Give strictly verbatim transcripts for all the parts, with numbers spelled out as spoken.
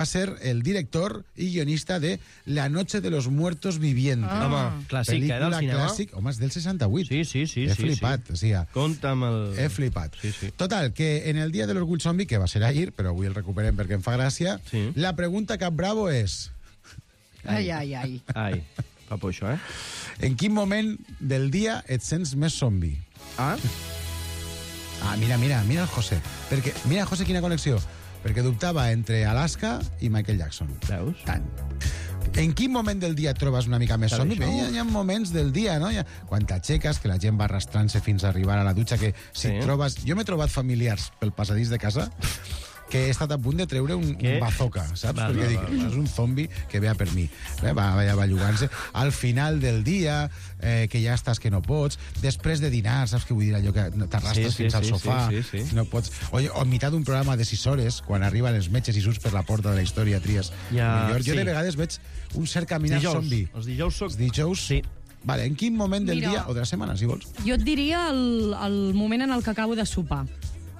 va ser el director i guionista de La noche de los muertos vivientes. Ah. Home, clàssic, eh, del cinema. Clàssic. Home, és del seixanta-vuit. Sí, sí, sí. He sí, flipat, sí. o sigui... Compte amb el... He flipat. Sí, sí. Total, que en el dia de l'orgull zombi, que va ser ahir, però avui el recuperem perquè em fa gràcia, Sí. la pregunta cap bravo és... Ai, ai, ai. Ai, fa por això, eh? En quin moment del dia et sents més zombi? Ah? Ah, mira, mira, mira el José. Perquè, mira, José, quina connexió. Perquè dubtava entre Alaska i Michael Jackson. Veus? Tant. En quin moment del dia et trobes una mica més Sabe somni? això? Hi, ha, hi ha moments del dia, no? Hi ha, quan t'aixeques, que la gent va arrastrant-se fins a arribar a la dutxa, que si Sí. et trobes... Jo m'he trobat familiars pel passadís de casa que he estat a punt de treure un, Què? un bazooka, saps? Va, Perquè va, dic, va, va. és un zombi que ve a per mi. Eh, va, va, va llugant-se. Al final del dia, eh, que ja estàs que no pots, després de dinar, saps què vull dir? Allò que t'arrastres Sí, sí, fins al sí, sofà, sí, sí, sí. no pots... O, o en mitjà d'un programa de sis hores, quan arriben els metges i surts per la porta de la història, tries Ja, millor. Jo sí. de vegades veig un cert caminar Dijous. zombi. Els dijous soc... Els dijous? Sí. Vale, en quin moment del Mira. dia o de la setmana, si vols? Jo et diria el, el moment en el que acabo de sopar.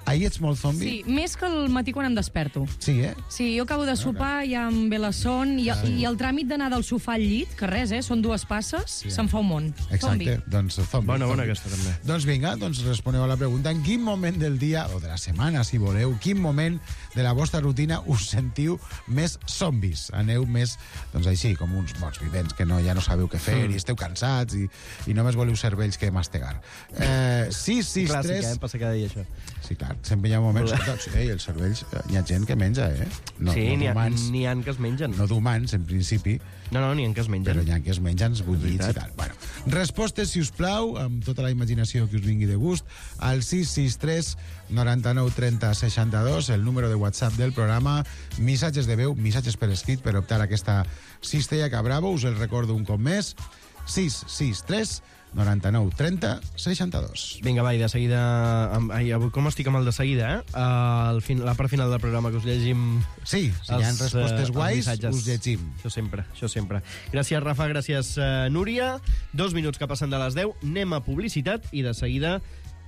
Ahir ets molt zombi? Sí, més que el matí quan em desperto. Sí, eh? Sí, jo acabo de sopar, ja em ve la son, i, i el tràmit d'anar del sofà al llit, que res, eh, són dues passes, sí, se'n fa un món. Exacte, Zombi. doncs zombi. Bona, bona zombi. aquesta, també. Doncs vinga, doncs responeu a la pregunta. En quin moment del dia, o de la setmana, si voleu, quin moment de la vostra rutina us sentiu més zombis? Aneu més, doncs així, com uns morts vivents, que no, ja no sabeu què fer, Mm. i esteu cansats, i, i només voleu cervells que mastegar. Eh, sis sis Clàssic, tres... eh? Passa cada dia, això. Sí, clar, sempre hi ha moments... Doncs, ei, els cervells, hi ha gent que menja, eh? No, sí, no n'hi ha, d'humans, n'hi ha que es mengen. no d'humans, en principi, No, no, n'hi ha que es mengen. però hi ha que es mengen els bullits i Veritat. tal. Bueno, respostes, si us plau, amb tota la imaginació que us vingui de gust, al sis sis tres noranta-nou trenta seixanta-dos, el número de WhatsApp del programa, missatges de veu, missatges per escrit per optar a aquesta cistella que bravo, us el recordo un cop més, sis sis tres noranta-nou trenta seixanta-dos. Vinga, va, i de seguida... amb- Ai, avui com estic amb el de seguida, eh? Uh, el fin, la part final del programa, que us llegim... Sí, si hi ha els, respostes eh, guais, els missatges. us llegim. Això sempre, això sempre. Gràcies, Rafa, gràcies, uh, Núria. Dos minuts que passen de les deu. Anem a publicitat i de seguida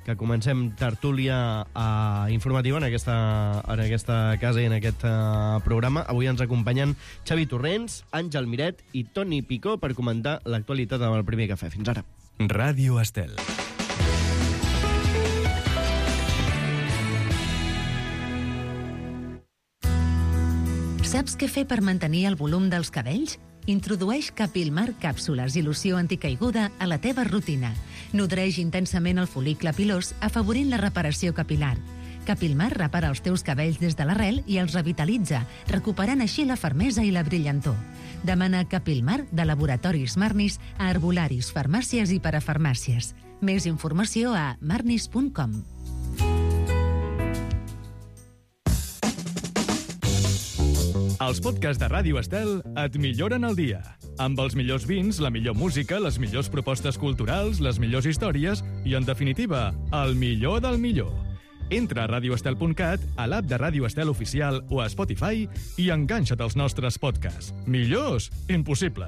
que comencem tertúlia uh, informativa en aquesta, en aquesta casa i en aquest uh, programa. Avui ens acompanyen Xavi Torrents, Àngel Miret i Toni Picó per comentar l'actualitat amb el primer cafè. Fins ara. Ràdio Estel. Saps què fer per mantenir el volum dels cabells? Introdueix Capilmar càpsules i loció anticaiguda a la teva rutina. Nodreix intensament el fol·licle pilós, afavorint la reparació capilar. Capilmar repara els teus cabells des de l'arrel i els revitalitza, recuperant així la fermesa i la brillantor. Demana Capilmar de Laboratoris Marnis a herbolaris, farmàcies i parafarmàcies. Més informació a marnis punt com. Els podcasts de Ràdio Estel et milloren el dia. Amb els millors vins, la millor música, les millors propostes culturals, les millors històries i, en definitiva, el millor del millor. Entra a radio estel punt cat, a l'app de Ràdio Estel Oficial o a Spotify i enganxa't als nostres podcasts. Millors? Impossible.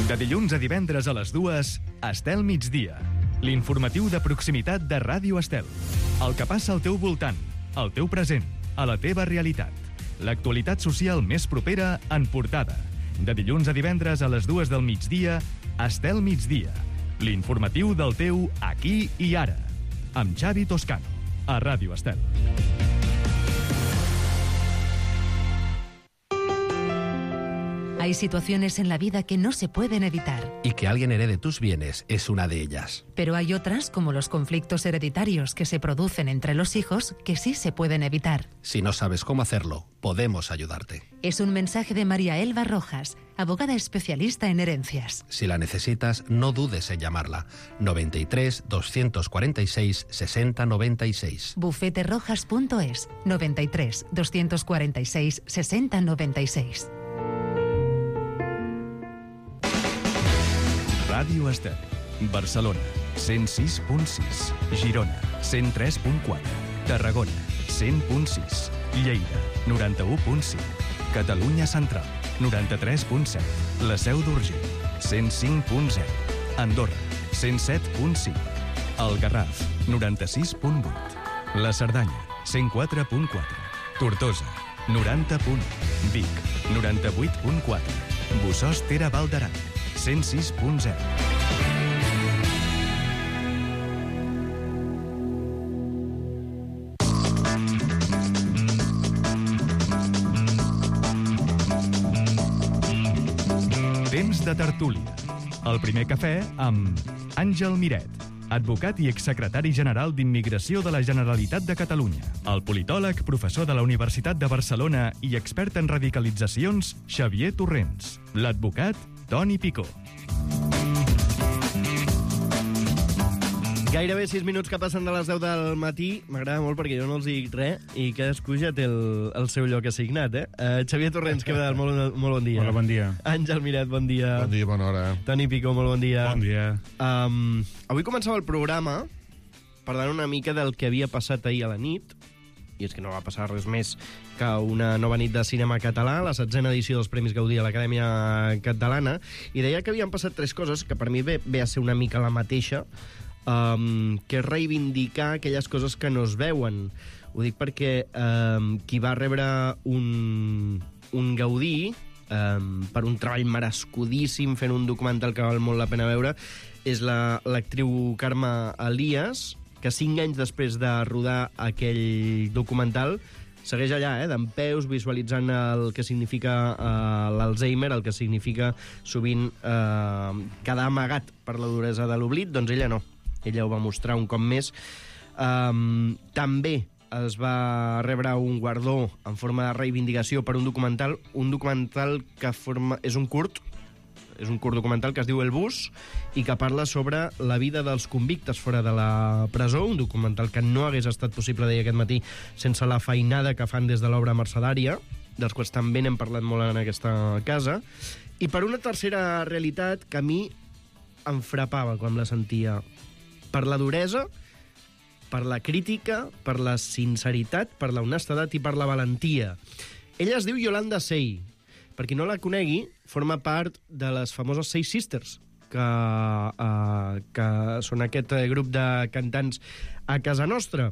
De dilluns a divendres a les dues, Estel Migdia. L'informatiu de proximitat de Ràdio Estel. El que passa al teu voltant, al teu present, a la teva realitat. L'actualitat social més propera en portada. De dilluns a divendres a les dues del migdia, Estel Migdia. L'informatiu del teu aquí i ara. Amb Xavi Toscano, a Ràdio Estel. Hay situaciones en la vida que no se pueden evitar, Y que alguien herede tus bienes es una de ellas. pero hay otras, como los conflictos hereditarios que se producen entre los hijos, que sí se pueden evitar. Si no sabes cómo hacerlo, podemos ayudarte. Es un mensaje de María Elba Rojas, abogada especialista en herencias. Si la necesitas, no dudes en llamarla. noventa y tres, doscientos cuarenta y seis, sesenta noventa y seis. bufete rojas punto es, noventa y tres, doscientos cuarenta y seis, sesenta noventa y seis. Ràdio Estel. Barcelona, cent sis punt sis. Girona, cent tres punt quatre. Tarragona, cent punt sis. Lleida, noranta-u punt cinc. Catalunya Central, noranta-tres punt set. La Seu d'Urgell, cent cinc punt zero. Andorra, cent set punt cinc. El Garraf, noranta-sis punt vuit. La Cerdanya, cent quatre punt quatre. Tortosa, noranta punt u. Vic, noranta-vuit punt quatre. Bossòst Ter Val d'Aran, cent sis punt zero. Temps de tertúlia. El primer cafè amb Àngel Miret, advocat i exsecretari general d'Immigració de la Generalitat de Catalunya. El politòleg, professor de la Universitat de Barcelona i expert en radicalitzacions, Xavier Torrents. L'advocat, Toni Picó. Gairebé sis minuts que passen de les deu del matí. M'agrada molt perquè jo no els dic res i cadascú ja té el, el seu lloc assignat, eh? Uh, Xavier Torrents, què tal? Molt, molt bon dia. Hola, bon dia. Àngel Miret, bon dia. Bon dia, bona hora. Toni Picó, molt bon dia. Bon dia. Um, avui començava el programa parlant una mica del que havia passat ahir a la nit, i és que no va passar res més que una nova nit de cinema català, la setzena edició dels Premis Gaudí a l'Acadèmia Catalana, i deia que havien passat tres coses que per mi ve, ve a ser una mica la mateixa, Um, que és reivindicar aquelles coses que no es veuen. Ho dic perquè um, qui va rebre un, un Gaudí um, per un treball merescudíssim fent un documental que val molt la pena veure és la, l'actriu Carme Elias, que cinc anys després de rodar aquell documental segueix allà, eh, dempeus, visualitzant el que significa uh, l'Alzheimer, el que significa sovint uh, quedar amagat per la duresa de l'oblit. Doncs ella no. Ella ho va mostrar un cop més. Um, també es va rebre un guardó en forma de reivindicació per un documental, un documental que forma, és un curt, és un curt documental que es diu El Bus i que parla sobre la vida dels convictes fora de la presó, un documental que no hagués estat possible, deia aquest matí, sense la feinada que fan des de l'obra mercedària, dels quals també n'hem parlat molt en aquesta casa, i per una tercera realitat que a mi em frapava quan la sentia, per la duresa, per la crítica, per la sinceritat, per la honestedat i per la valentia. Ella es diu Yolanda Sey. Per qui no la conegui, forma part de les famoses Sey Sisters, que, uh, que són aquest grup de cantants a casa nostra.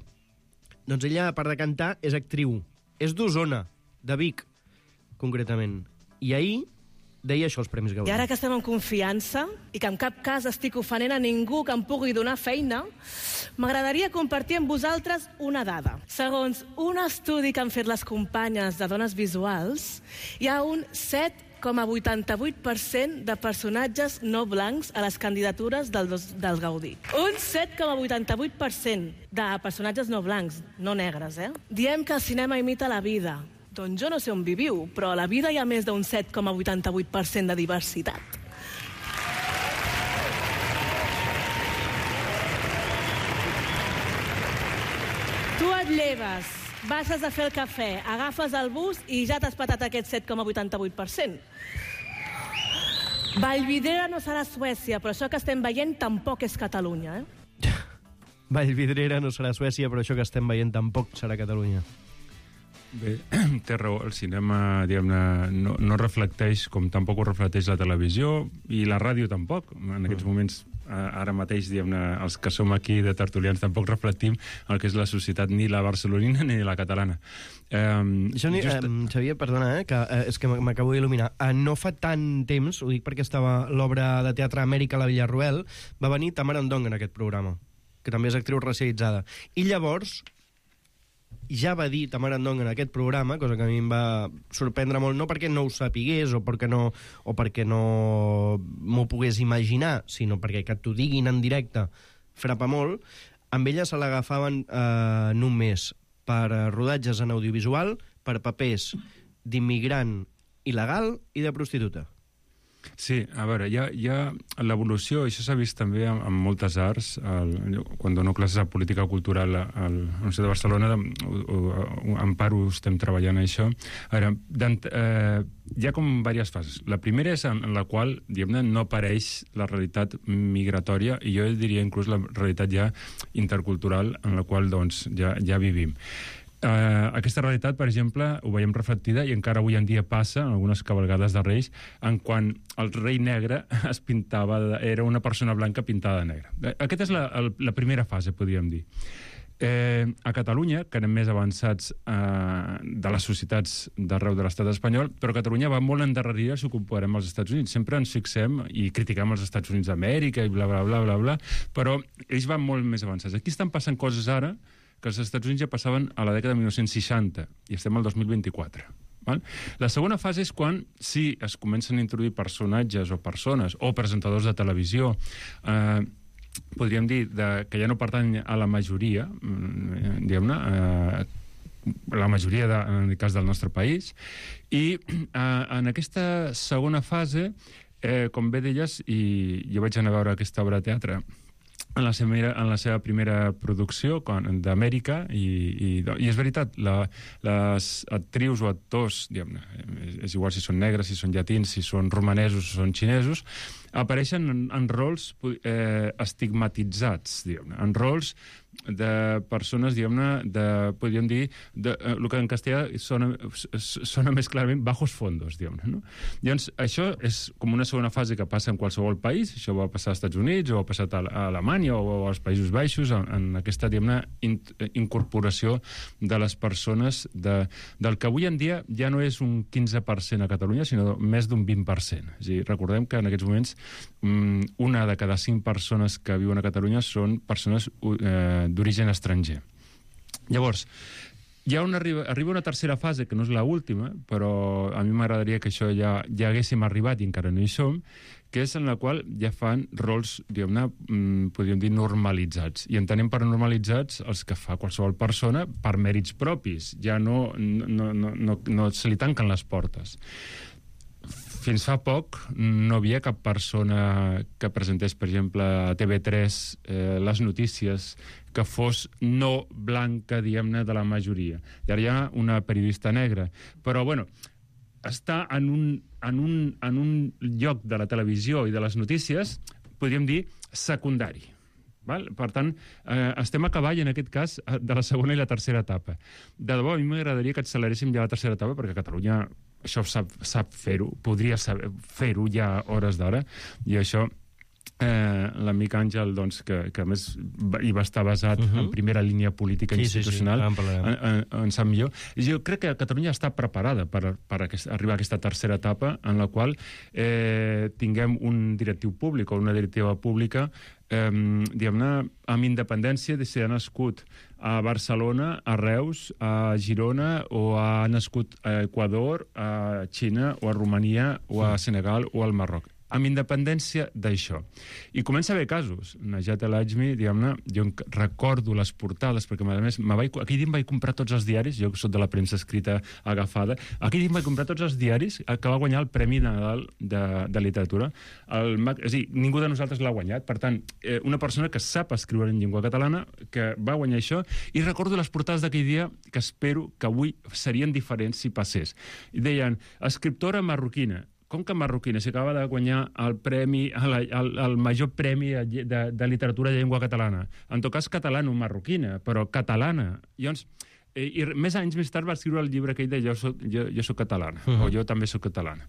Doncs ella, a part de cantar, és actriu. És d'Osona, de Vic, concretament. I ahir deia això als Premis Gaudí. I ara que estem en confiança i que en cap cas estic ofenent a ningú que em pugui donar feina, m'agradaria compartir amb vosaltres una dada. Segons un estudi que han fet les companyes de dones visuals, hi ha un set coma vuitanta-vuit per cent de personatges no blancs a les candidatures del, dos, del Gaudí. Un set coma vuitanta-vuit per cent de personatges no blancs, no negres, eh? Diem que el cinema imita la vida. Doncs jo no sé on viviu, però a la vida hi ha més d'un set coma vuitanta-vuit per cent de diversitat. Tu et lleves, baixes a fer el cafè, agafes el bus i ja t'has patat aquest set coma vuitanta-vuit per cent. Vallvidrera no serà Suècia, però això que estem veient tampoc és Catalunya, eh? Vallvidrera no serà Suècia, però això que estem veient tampoc serà Catalunya. Bé, té raó, el cinema, diguem-ne, no, no reflecteix, com tampoc ho reflecteix la televisió, i la ràdio tampoc. En aquests moments, ara mateix, diguem-ne, els que som aquí de tertulians tampoc reflectim el que és la societat, ni la barcelonina ni la catalana. Um, Això, ni, just... eh, Xavier, perdona, eh, que, eh, és que m'acabo d'il·luminar. Eh, no fa tant temps, ho dic perquè estava l'obra de teatre Amèrica a la Villarroel, va venir Tamara Ndong en aquest programa, que també és actriu racialitzada. I llavors ja va dir Tamara Ndong en aquest programa, cosa que a mi em va sorprendre molt, no perquè no ho sapigués o perquè no, o perquè no m'ho pogués imaginar, sinó perquè que t'ho diguin en directe frapa molt. Amb ella se l'agafaven eh, només per rodatges en audiovisual, per papers d'immigrant il·legal i de prostituta. Sí, a veure, hi ha, hi ha l'evolució, això s'ha vist també en, en moltes arts, el, quan dono classes de política cultural al, a la Universitat de Barcelona, en part ho estem treballant això. A veure, eh, hi ha com diverses fases. La primera és en la qual, diguem-ne, no apareix la realitat migratòria, i jo diria inclús la realitat ja intercultural en la qual doncs, ja, ja vivim. Uh, aquesta realitat, per exemple, ho veiem reflectida i encara avui en dia passa en algunes cavalgades de Reis, en quan el rei negre es pintava, de, era una persona blanca pintada de negre. Aquesta és la, el, la primera fase, podríem dir. Eh, a Catalunya, que anem més avançats eh, de les societats d'arreu de l'estat espanyol, però Catalunya va molt endarrerida si ho comparem als Estats Units. Sempre ens fixem i critiquem els Estats Units d'Amèrica i bla, bla, bla, bla, bla, però ells van molt més avançats. Aquí estan passant coses ara que els Estats Units ja passaven a la dècada de mil nou-cents seixanta i estem al dos mil vint-i-quatre. Val? La segona fase és quan sí, es comencen a introduir personatges o persones o presentadors de televisió, eh, podríem dir de, que ja no pertany a la majoria, diguem-ne, eh, la majoria, de, en el cas del nostre país, i eh, en aquesta segona fase, eh, com bé deies, i jo vaig anar a veure aquesta obra de teatre en la seva, en la seva primera producció d'Amèrica, i, i, i és veritat, la, les actrius o actors, diguem-ne, és, és igual si són negres, si són llatins, si són romanesos, si són xinesos, apareixen en, en rols eh, estigmatitzats, diguem-ne, en rols de persones, diguem-ne, de, podríem dir, de, eh, el que en castellà sona, sona més clarament bajos fondos, diguem-ne, no? Llavors, això és com una segona fase que passa en qualsevol país, això va passar als Estats Units, o ha passat a, a Alemanya, o als Països Baixos, en, en aquesta, diguem-ne, in, incorporació de les persones de, del que avui en dia ja no és un quinze per cent a Catalunya, sinó més d'un vint per cent. És a dir, recordem que en aquests moments una de cada cinc persones que viuen a Catalunya són persones eh, d'origen estranger. Llavors, hi ha una, arriba, arriba una tercera fase, que no és l'última, però a mi m'agradaria que això ja, ja haguéssim arribat i encara no hi som, que és en la qual ja fan rols, diguem-ne, podríem dir, normalitzats. I entenem per normalitzats els que fa qualsevol persona per mèrits propis. Ja no, no, no, no, no se li tanquen les portes. Fins fa poc no havia cap persona que presentés, per exemple, a T V tres eh, les notícies que fos no blanca, diguem-ne, de la majoria. I ara hi ha una periodista negra. Però, bueno, està en un, en un, en un lloc de la televisió i de les notícies, podríem dir, secundari. Val? Per tant, eh, estem a cavall, en aquest cas, de la segona i la tercera etapa. De debò, a mi m'agradaria que acceleréssim ja la tercera etapa, perquè Catalunya això sap, sap fer-ho, podria fer-ho ja a hores d'ara, i això eh, l'amic Àngel, doncs, que, que a més hi va estar basat uh-huh. en primera línia política sí, institucional, sí, sí. En, en, en sap millor. Jo crec que Catalunya està preparada per, per aquest, arribar a aquesta tercera etapa en la qual eh, tinguem un directiu públic o una directiva pública eh, diguem-ne, amb independència de si ha nascut a Barcelona, a Reus, a Girona, o ha nascut a Equador, a Xina, o a Romania, o a Senegal, o al Marroc. Amb independència d'això. I comença a haver casos. Najat El Ajmi, diguem-ne, jo recordo les portades, perquè a més, vaig, aquell dia em vaig comprar tots els diaris, jo que soc de la premsa escrita agafada, aquell dia em vaig comprar tots els diaris que va guanyar el Premi Nadal de, de Literatura. El, és a dir, ningú de nosaltres l'ha guanyat, per tant, eh, una persona que sap escriure en llengua catalana, que va guanyar això, i recordo les portades d'aquell dia que espero que avui serien diferents si passés. I deien, escriptora marroquina, com que marroquina s'acaba de guanyar el premi, el, el, el major premi de, de literatura de llengua catalana. En tot cas, catalano-marroquina, però catalana. Llavors, eh, i més anys més tard va escriure el llibre aquell de Jo soc, jo, jo soc catalana, uh-huh. o Jo també soc catalana,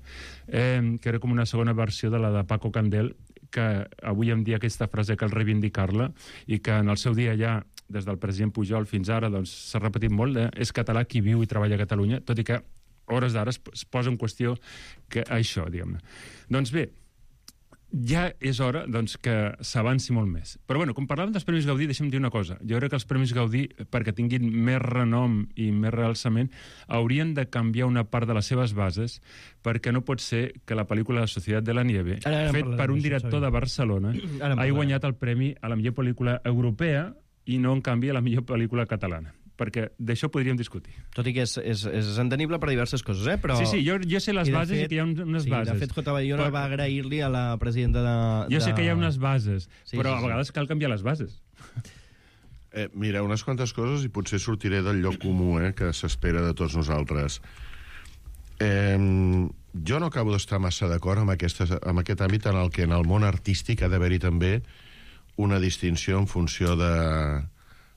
eh, que era com una segona versió de la de Paco Candel, que avui en dia aquesta frase cal reivindicar-la, i que en el seu dia ja, des del president Pujol fins ara, doncs, s'ha repetit molt, eh? És català qui viu i treballa a Catalunya, tot i que hores d'ara es posa en qüestió que això, diguem-ne. Doncs bé, ja és hora doncs, que s'avanci molt més. Però, bueno, com parlàvem dels Premis Gaudí, deixa'm dir una cosa. Jo crec que els Premis Gaudí, perquè tinguin més renom i més realçament, haurien de canviar una part de les seves bases, perquè no pot ser que la pel·lícula La Societat de la Nieve, ara, ara fet per un director de Barcelona, hagi guanyat el premi a la millor pel·lícula europea i no, en canvi, a la millor pel·lícula catalana. Perquè d'això podríem discutir. Tot i que és, és, és entenible per diverses coses, eh? Però... Sí, sí, jo, jo sé les I bases fet, i que hi ha unes sí, bases. De fet, J. Bayona però... va agrair-li a la presidenta de... Jo de... sé que hi ha unes bases, sí, però sí, a vegades sí. cal canviar les bases. Eh, mira, unes quantes coses i potser sortiré del lloc comú eh, que s'espera de tots nosaltres. Eh, jo no acabo d'estar massa d'acord amb, aquestes, amb aquest àmbit en el que en el món artístic ha d'haver-hi també una distinció en funció de...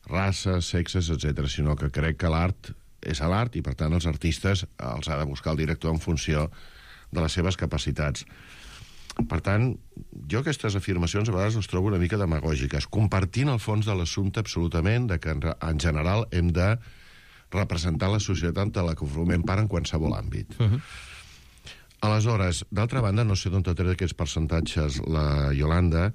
races, sexes, etcètera, sinó que crec que l'art és l'art i, per tant, els artistes els ha de buscar el director en funció de les seves capacitats. Per tant, jo aquestes afirmacions a vegades les trobo una mica demagògiques, compartint el fons de l'assumpte absolutament de que en general hem de representar la societat de la que formem part en qualsevol àmbit. Uh-huh. Aleshores, d'altra banda, no sé d'on t'ha tret aquests percentatges la Yolanda,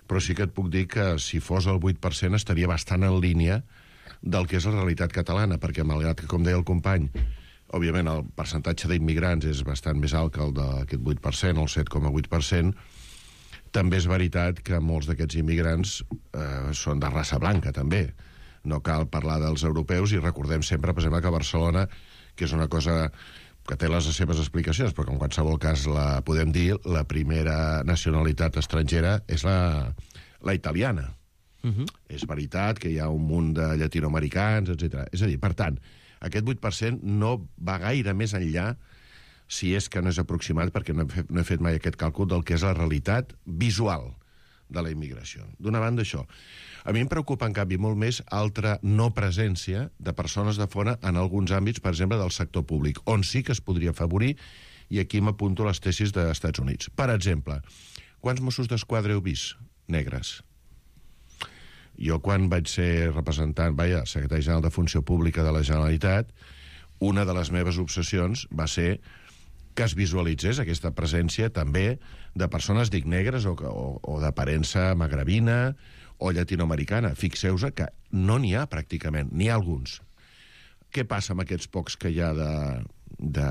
però sí que et puc dir que si fos el vuit per cent estaria bastant en línia del que és la realitat catalana, perquè malgrat que, com deia el company, òbviament el percentatge d'immigrants és bastant més alt que el d'aquest vuit per cent, el set coma vuit per cent, també és veritat que molts d'aquests immigrants eh, són de raça blanca, també. No cal parlar dels europeus i recordem sempre, per exemple, que Barcelona, que és una cosa que té les seves explicacions, però que en qualsevol cas la podem dir, la primera nacionalitat estrangera és la, la italiana. Uh-huh. És veritat que hi ha un munt de llatinoamericans, etcètera. És a dir, per tant, aquest vuit per cent no va gaire més enllà, si és que no és aproximat, perquè no he fet, no he fet mai aquest càlcul del que és la realitat visual de la immigració. D'una banda, això. A mi em preocupa, en canvi, molt més altra no presència de persones de fora en alguns àmbits, per exemple, del sector públic, on sí que es podria afavorir, i aquí m'apunto les tesis dels Estats Units. Per exemple, quants Mossos d'Esquadra heu vist negres? Jo, quan vaig ser representant, vaja, secretari general de Funció Pública de la Generalitat, una de les meves obsessions va ser que es visualitzés aquesta presència també de persones, dic, negres o, o, o d'aparença magrebina o llatinoamericana. Fixeu-vos que no n'hi ha pràcticament, n'hi ha alguns. Què passa amb aquests pocs que hi ha de, de,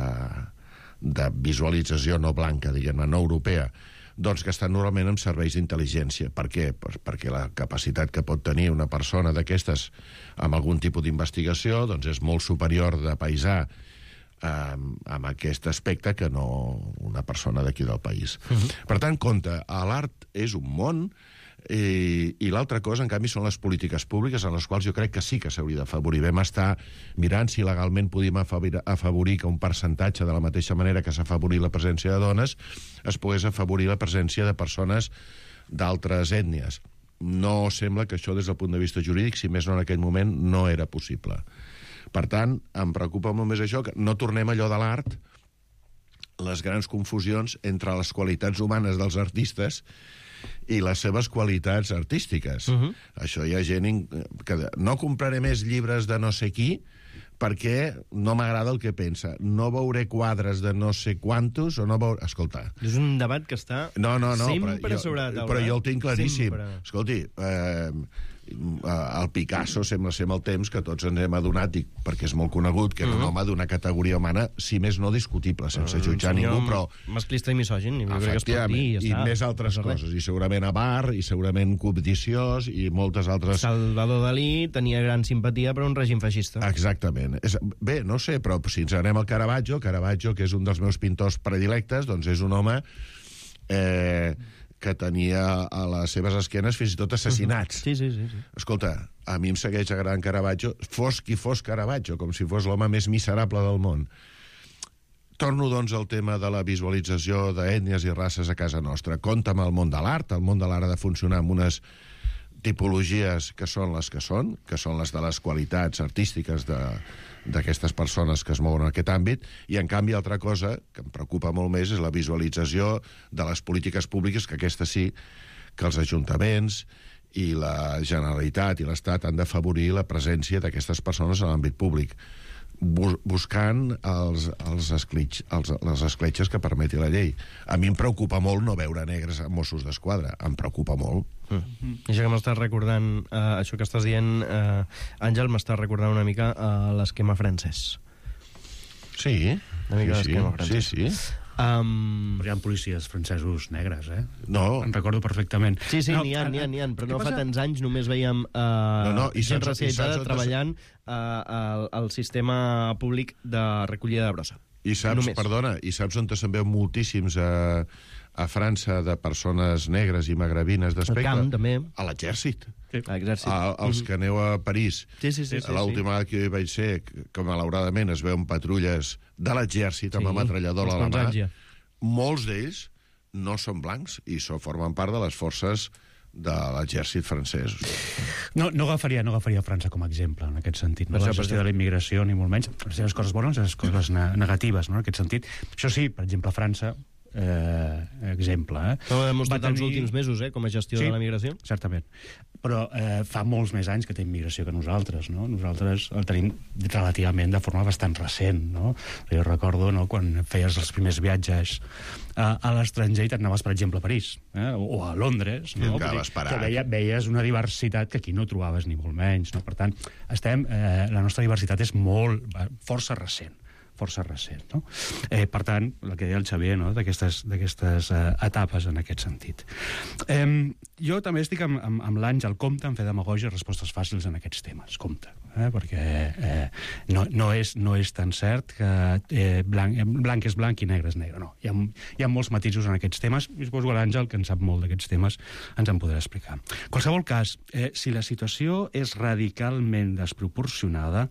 de visualització no blanca, diguem-ne, no europea? Doncs que estan normalment en serveis d'intel·ligència. Per què? Perquè la capacitat que pot tenir una persona d'aquestes amb algun tipus d'investigació doncs és molt superior de paisà eh, amb aquest aspecte que no una persona d'aquí del país. Uh-huh. Per tant, compte, l'art és un món i, i l'altra cosa, en canvi, són les polítiques públiques en les quals jo crec que sí que s'hauria d'afavorir. Vam estar mirant si legalment podíem afavorir, afavorir que un percentatge, de la mateixa manera que s'ha afavorit la presència de dones, es pogués afavorir la presència de persones d'altres ètnies. No sembla que això, des del punt de vista jurídic, si més no en aquell moment, no era possible. Per tant, em preocupa molt més això, que no tornem allò de l'art, les grans confusions entre les qualitats humanes dels artistes i les seves qualitats artístiques. Uh-huh. Això hi ha gent que no compraré més llibres de no sé qui perquè no m'agrada el que pensa. No veuré quadres de no sé quantos o no veuré... Escolta... És un debat que està no, no, no, sempre però jo, sobre la taula. Però jo el tinc claríssim. Sempre. Escolti, eh, el Picasso sembla ser amb el temps que tots ens hem adonat, i perquè és molt conegut, que era un home d'una categoria humana, si més no discutible, sense uh, jutjar ningú, però... Masclista i misògin, jo crec que es pot dir, i, i més altres no coses, i segurament avar, i segurament cobdiciós, i moltes altres... Salvador Dalí tenia gran simpatia per un règim feixista. Exactament. És, bé, no sé, però si ens anem al Caravaggio, Caravaggio, que és un dels meus pintors predilectes, doncs és un home... Eh, que tenia a les seves esquenes fins i tot assassinats. Sí, sí, sí, sí. Escolta, a mi em segueix agradant Caravaggio, fos qui fos Caravaggio, com si fos l'home més miserable del món. Torno, doncs, al tema de la visualització d'ètnies i races a casa nostra. Compte amb el món de l'art. El món de l'art ha de funcionar amb unes tipologies que són les que són, que són les de les qualitats artístiques de... d'aquestes persones que es mouen en aquest àmbit, i en canvi altra cosa que em preocupa molt més és la visualització de les polítiques públiques, que aquesta sí que els ajuntaments i la Generalitat i l'Estat han d'afavorir la presència d'aquestes persones en l'àmbit públic, bus buscant els, els, escletx, els, les escletxes que permeti la llei. A mi em preocupa molt no veure negres a Mossos d'Esquadra, em preocupa molt. Mm. Això que m'estàs recordant, uh, això que estàs dient, uh, Àngel, m'està recordant una mica uh, l'esquema francès. Sí, una mica sí, l'esquema francès. sí, sí. Um... Però hi ha policies francesos negres, eh? No. En recordo perfectament. Sí, sí, no, n'hi ha, n'hi ha, n'hi ha, però no passa? fa tants anys només veiem uh, no, no, i gent saps, racialitzada i saps, treballant uh, al, al sistema públic de recollida de brossa. I saps, només. perdona, i saps on se'n veu moltíssims a, a França de persones negres i magrebines d'aspecte? Al camp, també. A l'exèrcit. Sí. A l'exèrcit. A, els que aneu a París. Sí, sí, sí. sí L'última vegada que hi vaig ser, que malauradament es veuen patrulles de l'exèrcit amb sí, ametralladora a la mà. Ja. Molts d'ells no són blancs i so, formen part de les forces de l'exèrcit francès. No, no, agafaria, no agafaria França com a exemple, en aquest sentit. No? La gestió de la immigració, ni molt menys. Les seves coses bones i les coses negatives, no? En aquest sentit. Això sí, per exemple, França, eh, exemple... Eh? Ho ha demostrat tenir... els últims mesos, eh, com a gestió sí, de la migració. Certament. Però eh, fa molts més anys que té immigració que nosaltres, no? Nosaltres el tenim relativament de forma bastant recent, no? Jo recordo, no?, quan feies els primers viatges a, a l'estranger i t'anaves, per exemple, a París, eh? o, o a Londres, no? Que veia, veies una diversitat que aquí no trobaves ni molt menys, no? Per tant, estem, eh, la nostra diversitat és molt, força recent. força recent. No? Eh, per tant, el que deia el Xavier, no? d'aquestes eh, etapes en aquest sentit. Eh, jo també estic amb, amb, amb l'Àngel Compte en fer demagògia i respostes fàcils en aquests temes. Compte. Eh? Perquè eh, no, no, és, no és tan cert que eh, blanc, blanc és blanc i negre és negre. No. Hi ha, hi ha molts matisos en aquests temes i suposo que l'Àngel, que en sap molt d'aquests temes, ens en podrà explicar. En qualsevol cas, eh, si la situació és radicalment desproporcionada